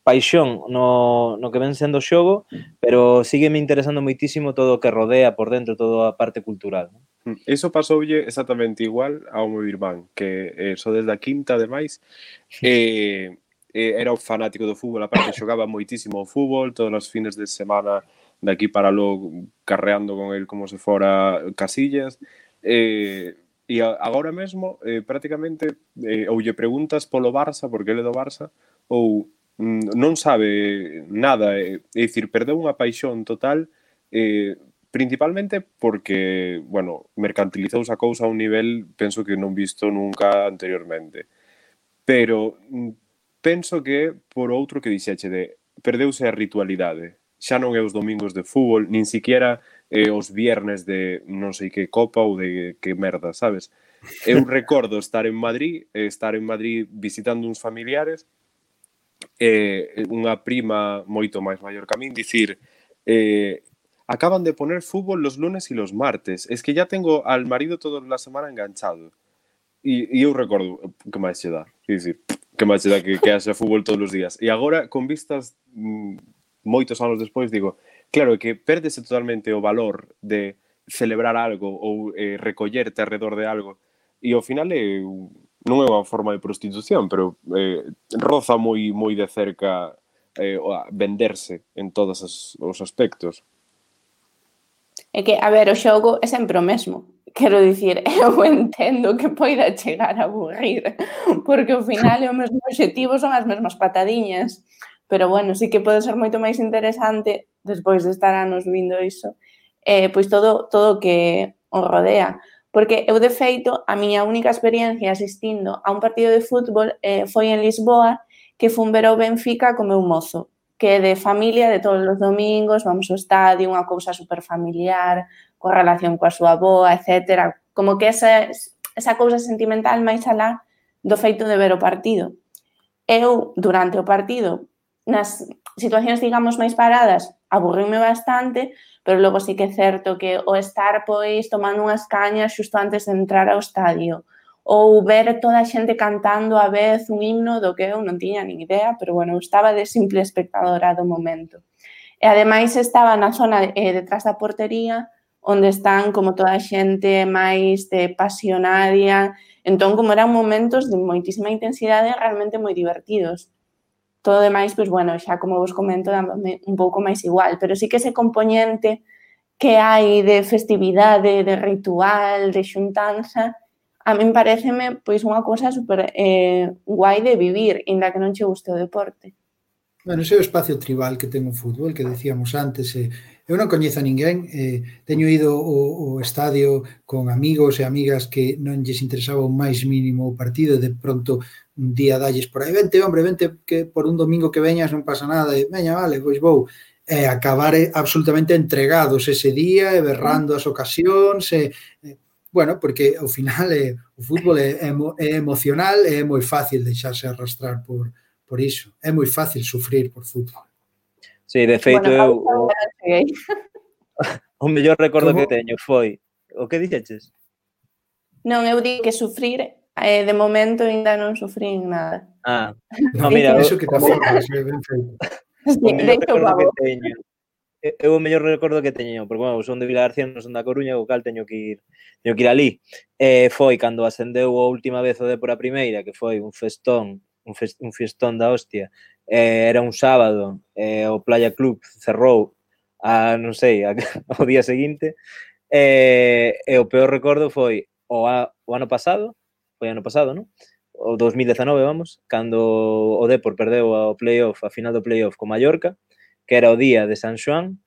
[SPEAKER 1] paixón no, no que ven sendo o xogo, pero sígueme interesando moitísimo todo o que rodea por dentro, toda a parte cultural.
[SPEAKER 3] Iso pasoulle exactamente igual ao meu irmán, que eh, só desde a quinta, ademais, eh, eh, era un fanático do fútbol, aparte xogaba moitísimo o fútbol, todos os fines de semana de aquí para lo carreando con el como se fora Casillas, eh, e agora mesmo eh, prácticamente eh, ou lle preguntas polo Barça, porque ele é do Barça, ou non sabe nada, é dicir, perdeu unha paixón total, eh, principalmente porque, bueno, mercantilizouse a cousa a un nivel, penso que non visto nunca anteriormente. Pero penso que por outro que dixeche de perdeuse a ritualidade. Xa non é os domingos de fútbol, nin siquiera eh, os viernes de non sei que copa ou de que merda, sabes? Eu recordo estar en Madrid, estar en Madrid visitando uns familiares, eh, unha prima moito máis maior que a min, dicir, eh, acaban de poner fútbol los lunes e los martes, es que ya tengo al marido toda la semana enganchado. E, e eu recordo, que máis che dá, dicir, que máis che dá que, que haxa fútbol todos os días. E agora, con vistas mm, moitos anos despois, digo, claro, que perdese totalmente o valor de celebrar algo ou eh, recollerte alrededor de algo, e ao final é non é unha forma de prostitución, pero eh, roza moi moi de cerca eh, a venderse en todos os, os aspectos.
[SPEAKER 4] É que, a ver, o xogo é sempre o mesmo. Quero dicir, eu entendo que poida chegar a aburrir, porque ao final o mesmo objetivo son as mesmas patadiñas, pero bueno, sí que pode ser moito máis interesante, despois de estar anos vindo iso, eh, pois todo todo que o rodea. Porque eu, de feito, a miña única experiencia asistindo a un partido de fútbol eh, foi en Lisboa, que fun ver o Benfica co meu mozo, que é de familia, de todos os domingos, vamos ao estadio, unha cousa super familiar, coa relación coa súa avoa, etcétera. Como que esa, esa cousa sentimental máis alá do feito de ver o partido. Eu, durante o partido, nas situacións, digamos, máis paradas, aburríme bastante, pero logo sí que é certo que o estar, pois, tomando unhas cañas xusto antes de entrar ao estadio, ou ver toda a xente cantando a vez un himno do que eu non tiña nin idea, pero, bueno, eu estaba de simple espectadora do momento. E, ademais, estaba na zona eh, detrás da portería, onde están como toda a xente máis de pasionaria, entón, como eran momentos de moitísima intensidade, realmente moi divertidos. Todo demais, pois, bueno, xa como vos comento, dándome un pouco máis igual, pero sí que ese componente que hai de festividade, de ritual, de xuntanza, a min pareceme, pois, unha cousa super eh, guai de vivir, inda que non che guste o deporte.
[SPEAKER 5] Bueno, ese é o espacio tribal que ten o fútbol, que decíamos antes. Eh, eu non coñezo a ninguén, eh, teño ido ao, ao estadio con amigos e amigas que non lles interesaba o máis mínimo o partido, de pronto un día dalles por aí, vente, hombre, vente, que por un domingo que veñas non pasa nada, e veña, vale, pois vou, e acabar absolutamente entregados ese día, e berrando as ocasións, e, e bueno, porque ao final eh, o fútbol é, é, é emocional e é moi fácil deixarse arrastrar por, por iso, é moi fácil sufrir por fútbol.
[SPEAKER 1] Sí, de feito,
[SPEAKER 4] bueno,
[SPEAKER 1] eu... O mellor recordo
[SPEAKER 5] Como?
[SPEAKER 1] que teño foi... O que dixeches?
[SPEAKER 4] Non, eu digo que sufrir, eh, de momento ainda non sufrín nada.
[SPEAKER 1] Ah, no, mira, o,
[SPEAKER 5] Iso que te aforras, é ben feito.
[SPEAKER 1] o mellor
[SPEAKER 4] Deixo
[SPEAKER 1] recordo que
[SPEAKER 4] pavo.
[SPEAKER 1] teño... Eu o mellor recordo que teño, porque, bueno, son de Vilagarcía, non son da Coruña, o cal teño que ir, teño que ir ali. Eh, foi cando ascendeu a última vez o Dépor a primeira, que foi un festón, un, fest, un festón da hostia. Eh, era un sábado, eh, o Playa Club cerrou a, non sei, a, ao día seguinte. Eh, e o peor recordo foi o, a, o ano pasado, foi ano pasado, non? O dos mil dezanove, vamos, cando o Dépor perdeu o playoff, a final do playoff con Mallorca, que era o día de San Xoán,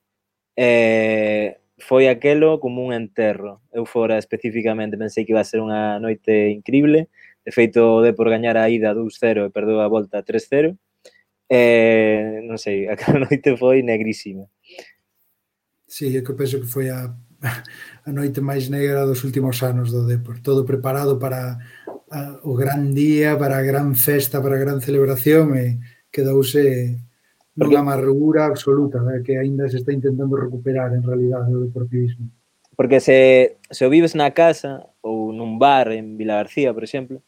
[SPEAKER 1] eh, foi aquelo como un enterro. Eu fora especificamente pensei que iba a ser unha noite increíble. De feito, o Dépor gañar a ida dous cero e perdeu a volta tres cero. Eh, non sei, aquela noite foi negrísima.
[SPEAKER 5] Sí, eu que penso que foi a, a noite máis negra dos últimos anos do Dépor. Todo preparado para a, o gran día, para a gran festa, para a gran celebración e quedouse nunha amargura absoluta, eh, que aínda se está intentando recuperar en realidade o deportivismo.
[SPEAKER 1] Porque se, se o vives na casa ou nun bar en Vilagarcía, por exemplo,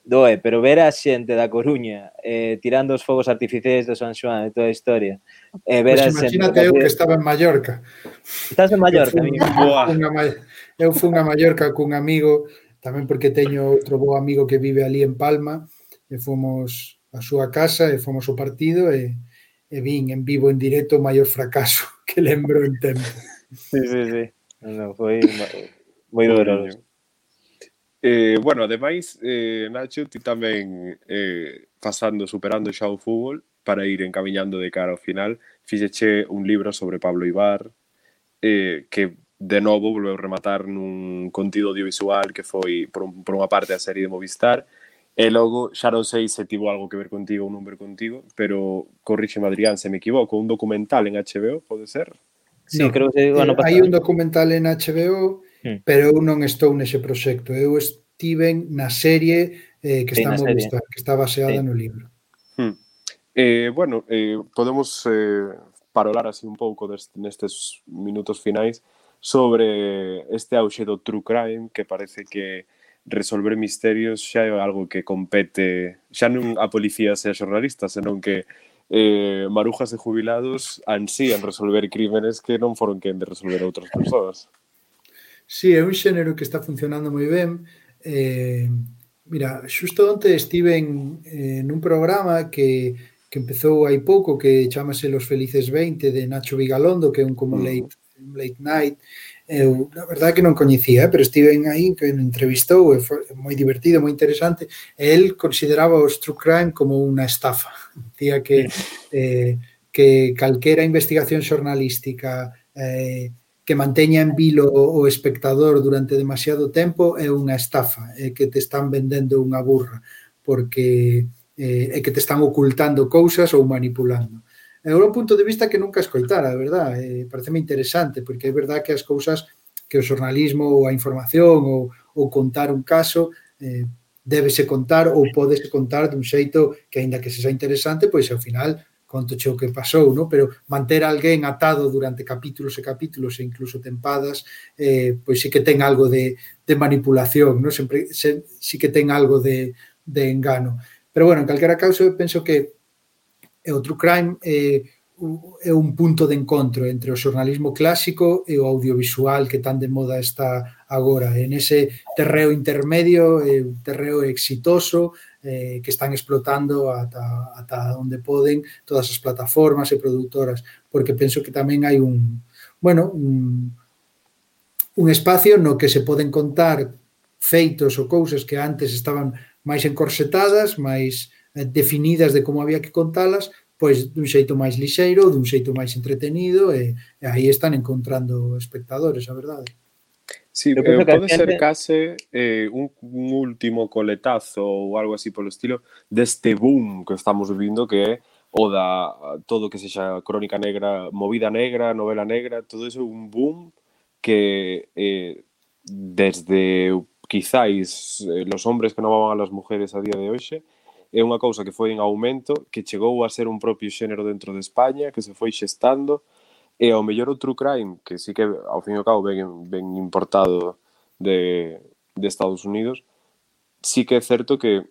[SPEAKER 1] doe, pero ver a xente da Coruña eh, tirando os fogos artificiais do San Xoán e toda a historia, eh, ver
[SPEAKER 5] Pois
[SPEAKER 1] a xente...
[SPEAKER 5] imagínate eu que estaba en Mallorca.
[SPEAKER 1] Estás en Mallorca,
[SPEAKER 5] eu
[SPEAKER 1] amigo?
[SPEAKER 5] fun, a, eu fun a Mallorca cun amigo, tamén porque teño outro bo amigo que vive ali en Palma, e fomos a súa casa e fomos ao partido e e vin en vivo en directo o maior fracaso que lembro en tempo.
[SPEAKER 1] Sí, sí, sí. No, foi moi doloroso.
[SPEAKER 3] Eh, bueno, ademais, eh, Nacho, ti tamén eh, pasando, superando xa o fútbol para ir encamiñando de cara ao final, fixeche un libro sobre Pablo Ibar, eh, que de novo volveu rematar nun contido audiovisual que foi, por, un, por unha parte, a serie de Movistar. E logo, xa non sei se tivo algo que ver contigo ou non ver contigo, pero corríxeme, Adrián, se me equivoco, un documental en H B O, pode ser?
[SPEAKER 1] Sí,
[SPEAKER 5] no,
[SPEAKER 1] creo que o ano pasado.
[SPEAKER 5] Hai un documental en H B O,
[SPEAKER 1] hmm.
[SPEAKER 5] pero eu non estou nese proxecto. Eu estiven na serie eh, que
[SPEAKER 1] Sí,
[SPEAKER 5] está
[SPEAKER 1] na
[SPEAKER 5] en
[SPEAKER 1] serie.
[SPEAKER 5] Movistar, que está baseada
[SPEAKER 1] Sí.
[SPEAKER 5] no libro.
[SPEAKER 3] Hmm. Eh, bueno, eh, podemos eh, parolar así un pouco deste, nestes minutos finais sobre este auxe do true crime, que parece que resolver misterios xa é algo que compete xa non a policía e a xornalistas, senón que eh, marujas e jubilados ansían resolver crímenes que non foron quen de resolver outras persoas.
[SPEAKER 5] Sí, é un xénero que está funcionando moi ben. Eh, mira, xusto onte estive en, eh, nun programa que, que empezou hai pouco, que chamase Los Felices veinte, de Nacho Vigalondo, que é un como late, late night. Eu, na verdade que non coñecía, eh, pero estiven aí, que me entrevistou, e foi moi divertido, moi interesante. E el consideraba os true crime como unha estafa. Dicía que, eh, que calquera investigación xornalística eh, que manteña en vilo o espectador durante demasiado tempo é unha estafa, é que te están vendendo unha burra, porque eh, é que te están ocultando cousas ou manipulando. É un punto de vista que nunca escoitara, a verdade, eh, pareceme interesante, porque é verdade que as cousas que o xornalismo ou a información ou, ou contar un caso eh, débese contar ou pódese contar dun xeito que, aínda que sexa interesante, pois ao final contoche o que pasou, no? Pero manter a alguén atado durante capítulos e capítulos e incluso tempadas, eh, pois sí que ten algo de, de manipulación, no? Sempre se, sí que ten algo de, de engano. Pero bueno, en calquera causa eu penso que o true crime é, é un punto de encontro entre o xornalismo clásico e o audiovisual que tan de moda está agora. En ese terreo intermedio, é un terreo exitoso, eh, que están explotando ata, ata onde poden todas as plataformas e produtoras, porque penso que tamén hai un, bueno, un, un espacio no que se poden contar feitos ou cousas que antes estaban máis encorsetadas, máis definidas de como había que contalas, pois dun xeito máis lixeiro, dun xeito máis entretenido, e, e aí están encontrando espectadores, a verdade.
[SPEAKER 3] Sí, eh, pode ser case eh, un, un último coletazo ou algo así polo estilo deste boom que estamos vivindo, que é o da todo que sexa crónica negra, movida negra, novela negra, todo eso é un boom que eh, desde quizáis eh, los hombres que non amaban a las mujeres a día de hoxe é unha cousa que foi en aumento, que chegou a ser un propio xénero dentro de España, que se foi xestando, E ao mellor o true crime, que sí que ao fin e ao cabo ben, ben importado de, de Estados Unidos, sí que é certo que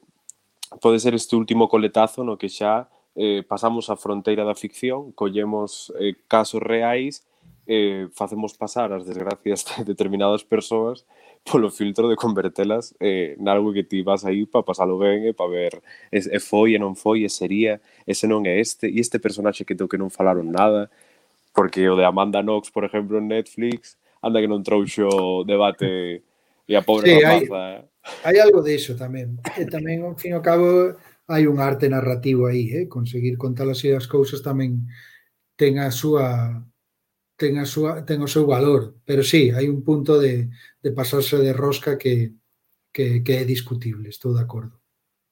[SPEAKER 3] pode ser este último coletazo no que xa eh, pasamos a fronteira da ficción, collemos eh, casos reais, eh, facemos pasar as desgracias de determinadas persoas polo filtro de convertelas eh, nalgo que ti vas aí para pasalo ben e para ver e, e foi e non foi, e sería, ese non é este, e este personaxe que teu que non falaron nada, porque o de Amanda Knox, por exemplo, en Netflix, anda que non trouxo debate e a pobre
[SPEAKER 5] Sí, hai,
[SPEAKER 3] rapaza.
[SPEAKER 5] hai algo diso tamén. E tamén, ao fin e ao cabo, hai un arte narrativo aí, eh? Conseguir contar así as cousas tamén ten a súa ten a súa ten o seu valor, pero sí, hai un punto de, de pasarse de rosca que, que, que é discutible, estou de acordo.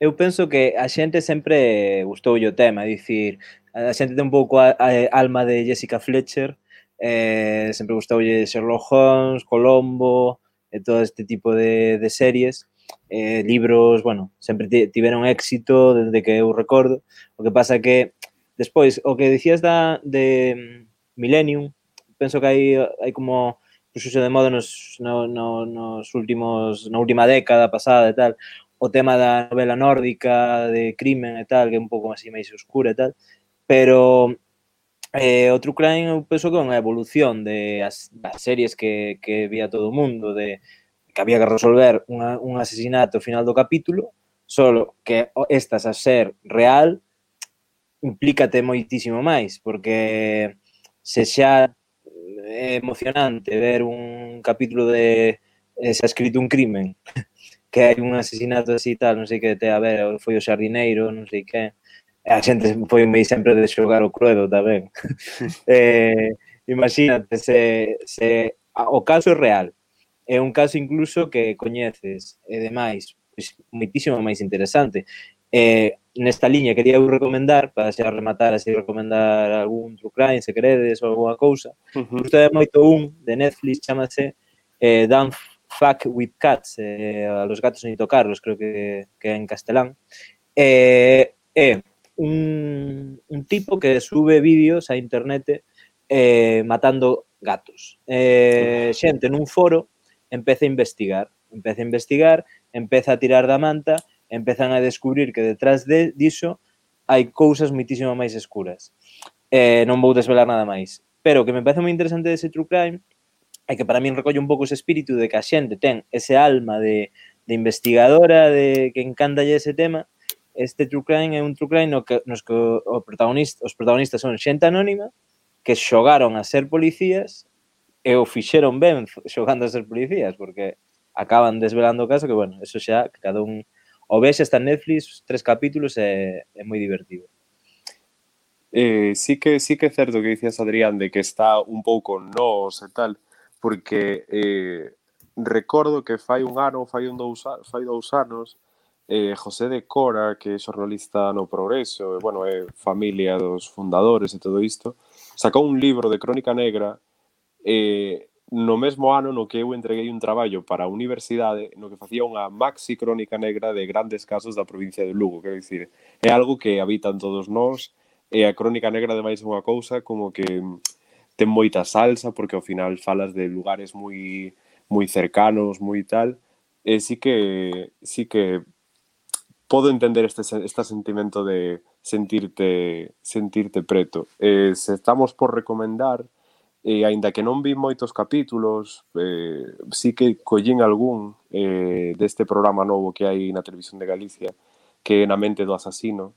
[SPEAKER 1] Eu penso que a xente sempre gustoulle o tema, é dicir, a xente ten un pouco a, a alma de Jessica Fletcher, eh, sempre gustoulle Sherlock Holmes, Colombo, e todo este tipo de, de series, eh, libros, bueno, sempre tiveron éxito desde que eu recordo, o que pasa que despois, o que dicías da, de Millennium, penso que hai, hai como puxo de moda nos, no, no, nos últimos, na última década pasada e tal, o tema da novela nórdica de crimen e tal, que é un pouco así máis oscura e tal, pero eh, o true crime eu penso que é unha evolución de as, das series que, que vía todo o mundo, de que había que resolver unha, un asesinato ao final do capítulo, solo que estas a ser real implícate moitísimo máis, porque se xa é emocionante ver un capítulo de eh, se ha escrito un crimen que hai un asesinato así tal, non sei que te a ver, foi o xardineiro, non sei que, a xente foi moi sempre de xogar o Cluedo tamén. eh, imagínate, se, se o caso é real, é un caso incluso que coñeces, e demais, pois, moitísimo máis interesante. Eh, nesta liña quería eu recomendar, para xa rematar así, recomendar algún true crime, se queredes, ou alguna cousa. Uh-huh. Justo é moito un de Netflix, chamase eh, Don't Fuck with Cats, eh, a los gatos ni tocarlos, creo que, que é en castelán. É eh, eh, un, un tipo que sube vídeos a internet eh, matando gatos. Eh, xente nun foro empeza a investigar, empeza a investigar, empeza a tirar da manta, empezan a descubrir que detrás de diso hai cousas moitísimo máis escuras. Eh, non vou desvelar nada máis. Pero o que me parece moi interesante dese true crime é que para min recolle un pouco ese espírito de que a xente ten ese alma de, de investigadora, de que encantalle ese tema. Este true crime é un true crime no que, nos que o protagonista, os protagonistas son xente anónima que xogaron a ser policías e o fixeron ben xogando a ser policías, porque acaban desvelando o caso que, bueno, eso xa, que cada un o ves, está en Netflix, tres capítulos e é moi divertido.
[SPEAKER 3] Eh, sí que sí que é certo que dicías, Adrián, de que está un pouco nos e tal, porque eh, recordo que fai un ano, fai un dous, fai dous anos, eh, José de Cora, que é xornalista no Progreso, e, bueno, é familia dos fundadores e todo isto, sacou un libro de crónica negra eh, no mesmo ano no que eu entreguei un traballo para a universidade no que facía unha maxi crónica negra de grandes casos da provincia de Lugo, quero dicir, é algo que habitan todos nós, e a crónica negra ademais é unha cousa como que ten moita salsa, porque ao final falas de lugares moi moi cercanos, moi tal, e sí que sí que podo entender este, este sentimento de sentirte sentirte preto. Eh, se estamos por recomendar, e aínda que non vi moitos capítulos, eh, sí que collín algún eh, deste programa novo que hai na Televisión de Galicia, que é Na mente do asasino,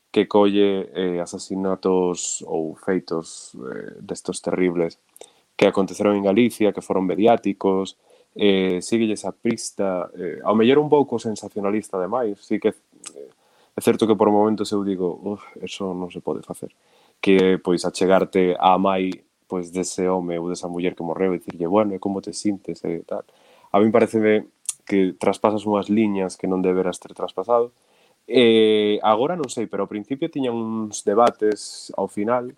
[SPEAKER 3] que colle eh, asasinatos ou feitos eh, destos terribles que aconteceron en Galicia, que foron mediáticos, eh, síguelle esa pista, eh, ao mellor un pouco sensacionalista ademais, sí que eh, é certo que por momentos eu digo, uf, eso non se pode facer, que pois achegarte á mai pois dese home ou desa muller que morreu e dicirlle, bueno, e como te sintes e tal. A mí pareceme que traspasas unhas liñas que non deberas ter traspasado. E agora non sei, pero ao principio tiñan uns debates ao final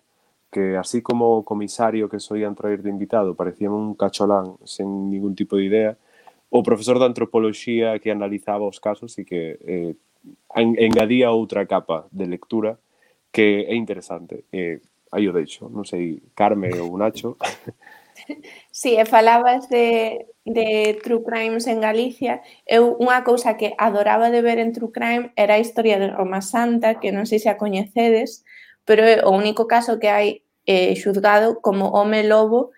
[SPEAKER 3] que así como o comisario que soían traer de invitado parecía un cacholán sen ningún tipo de idea, o profesor de antropoloxía que analizaba os casos e que eh, engadía outra capa de lectura que é interesante. Eh, aí o deixo, non sei, Carme ou Nacho.
[SPEAKER 4] Sí, e falabas de, de True Crimes en Galicia. Eu unha cousa que adoraba de ver en True Crime era a historia de Roma Santa, que non sei se a coñecedes, pero é o único caso que hai eh, xuzgado como home lobo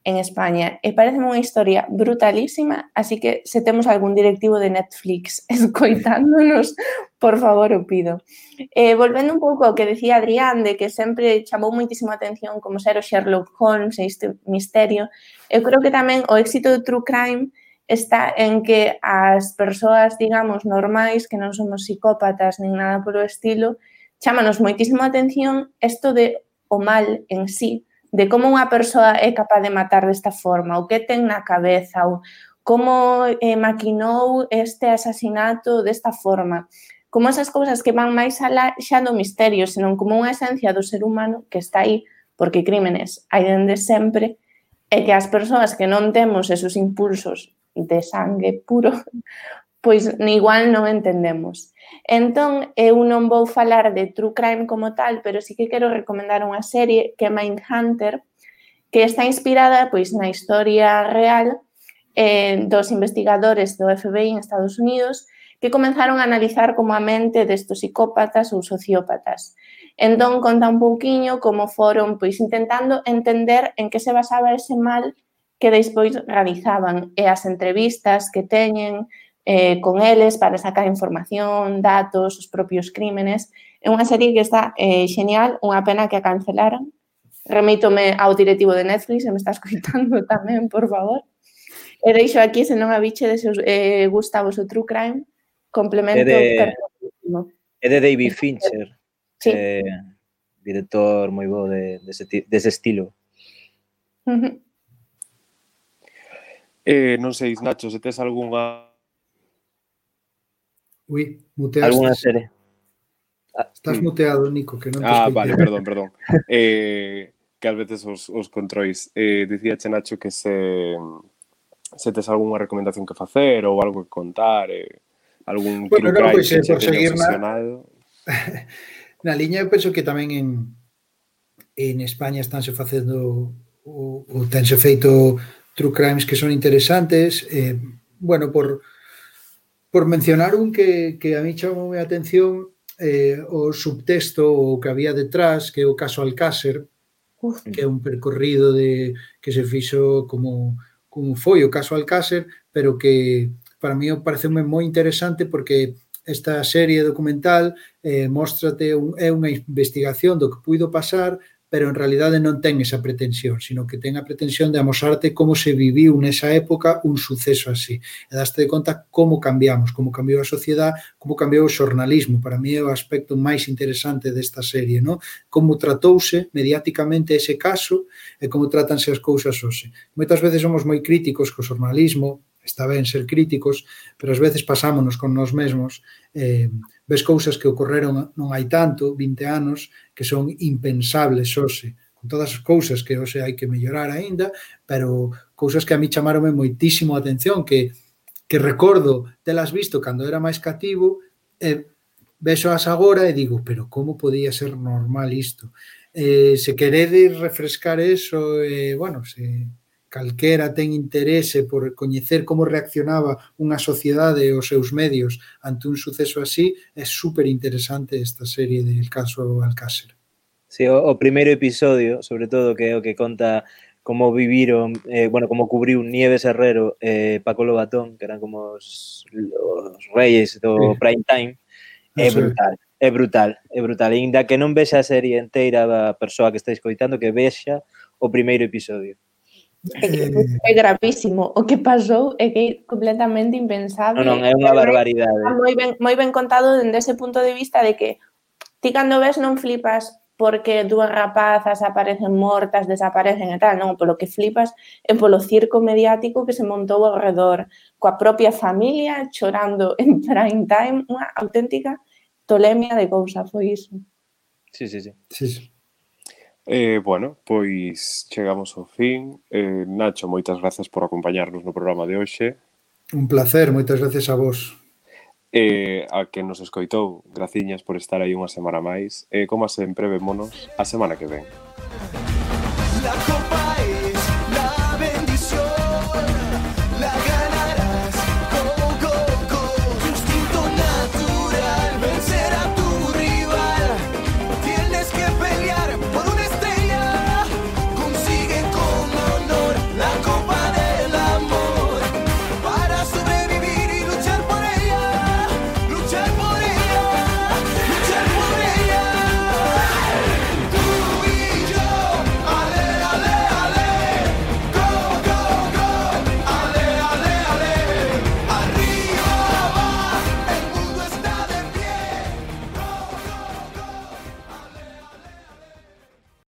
[SPEAKER 4] en España. E parece unha historia brutalísima, así que se temos algún directivo de Netflix escoitándonos, por favor, o pido. Eh, volvendo un pouco ao que decía Adrián, de que sempre chamou moitísima atención como ser o Sherlock Holmes e este misterio, eu creo que tamén o éxito do True Crime está en que as persoas, digamos, normais, que non somos psicópatas nin nada polo estilo, chámanos moitísimo atención isto de o mal en sí, de como unha persoa é capaz de matar desta forma, o que ten na cabeza, ou como eh, maquinou este asasinato desta forma. Como esas cousas que van máis alá xa do misterio, senón como unha esencia do ser humano que está aí, porque crímenes hai dende sempre, e que as persoas que non temos esos impulsos de sangue puro, pois igual non entendemos. Entón, eu non vou falar de True Crime como tal, pero sí que quero recomendar unha serie que é Mindhunter, que está inspirada pois na historia real eh, dos investigadores do F B I en Estados Unidos que comenzaron a analizar como a mente destos psicópatas ou sociópatas. Entón, conta un pouquiño como foron pois intentando entender en que se basaba ese mal que despois realizaban e as entrevistas que teñen eh, con eles para sacar información, datos, os propios crímenes. É unha serie que está eh, genial, unha pena que a cancelaran. Remítome ao directivo de Netflix, se me está escoitando tamén, por favor. E deixo aquí, se non a bichedes, eh, gusta vos o True Crime, complemento
[SPEAKER 1] É de,
[SPEAKER 4] perfectísimo.
[SPEAKER 1] é de David Fincher,
[SPEAKER 4] sí.
[SPEAKER 1] eh, director moi bo de, de, ese, de ese estilo.
[SPEAKER 4] Uh-huh.
[SPEAKER 3] Eh, non sei, Nacho, se tes algunha...
[SPEAKER 5] Ui, muteaste.
[SPEAKER 1] Alguna serie.
[SPEAKER 5] Estás
[SPEAKER 3] Mm.
[SPEAKER 5] muteado, Nico, que non te
[SPEAKER 3] Ah,
[SPEAKER 5] escoitei.
[SPEAKER 3] vale, perdón, perdón. Eh, que ás veces os, os controis. Eh, dicíache, Nacho, que se, se tes algunha recomendación que facer ou algo que contar, eh, algún
[SPEAKER 5] Bueno,
[SPEAKER 3] true
[SPEAKER 5] non,
[SPEAKER 3] crime
[SPEAKER 5] pois,
[SPEAKER 3] que
[SPEAKER 5] eh,
[SPEAKER 3] se
[SPEAKER 5] por
[SPEAKER 3] teña
[SPEAKER 5] seguir na-
[SPEAKER 3] obsesionado.
[SPEAKER 5] Na liña, eu penso que tamén en, en España estánse facendo ou, ou tense feito true crimes que son interesantes. Eh, bueno, por, por mencionar un que, que a mí chamou a atención, eh, o subtexto o que había detrás, que é o caso Alcácer,
[SPEAKER 4] Uf.
[SPEAKER 5] que é un percorrido de que se fixo como, como foi o caso Alcácer, pero que para mí pareceume moi interesante porque esta serie documental eh, móstrate un, é unha investigación do que puido pasar, pero en realidade non ten esa pretensión, sino que ten a pretensión de amosarte como se viviu nesa época un suceso así. E daste de conta como cambiamos, como cambiou a sociedade, como cambiou o xornalismo. Para mí é o aspecto máis interesante desta serie, ¿no? Como tratouse mediáticamente ese caso e como tratanse as cousas hoxe. Moitas veces somos moi críticos co xornalismo, está ben ser críticos, pero ás veces pasámonos con nós mesmos, eh, ves cousas que ocorreron non hai tanto, vinte anos, que son impensables hoxe, con todas as cousas que hoxe hai que mellorar aínda, pero cousas que a mí chamaronme moitísimo a atención, que, que recordo telas visto cando era máis cativo, e vexoas agora e digo, pero como podía ser normal isto? Eh, se queredes refrescar eso, eh, bueno, se... calquera ten interese por coñecer como reaccionaba unha sociedade e os seus medios ante un suceso así, é super interesante esta serie del caso Alcácer.
[SPEAKER 1] Sí, o, o primeiro episodio, sobre todo, que é o que conta como viviron, eh, bueno, como cubriu Nieves Herrero e eh, Paco Lobatón, que eran como os, os reyes do sí. prime time, é brutal, é brutal, é brutal. E ainda que non vexa a serie inteira a persoa que está escoitando, que vexa o primeiro episodio.
[SPEAKER 4] É, é gravísimo. O que pasou é que é completamente impensable.
[SPEAKER 1] Non, non, é unha barbaridade.
[SPEAKER 4] Moi ben, moi ben contado dende ese punto de vista de que ti cando ves non flipas porque dúas rapazas aparecen mortas, desaparecen e tal, non, polo que flipas é polo circo mediático que se montou ao redor, coa propia familia chorando en prime time, unha auténtica tolemia de cousa, foi iso.
[SPEAKER 1] Sí, sí, sí.
[SPEAKER 5] Sí, sí.
[SPEAKER 3] Eh, bueno, pois chegamos ao fin. Eh, Nacho, moitas grazas por acompañarnos no programa de hoxe.
[SPEAKER 5] Un placer, moitas gracias a vos.
[SPEAKER 3] Eh, a que nos escoitou, graciñas por estar aí unha semana máis. E, como sempre, vémonos a semana que ven.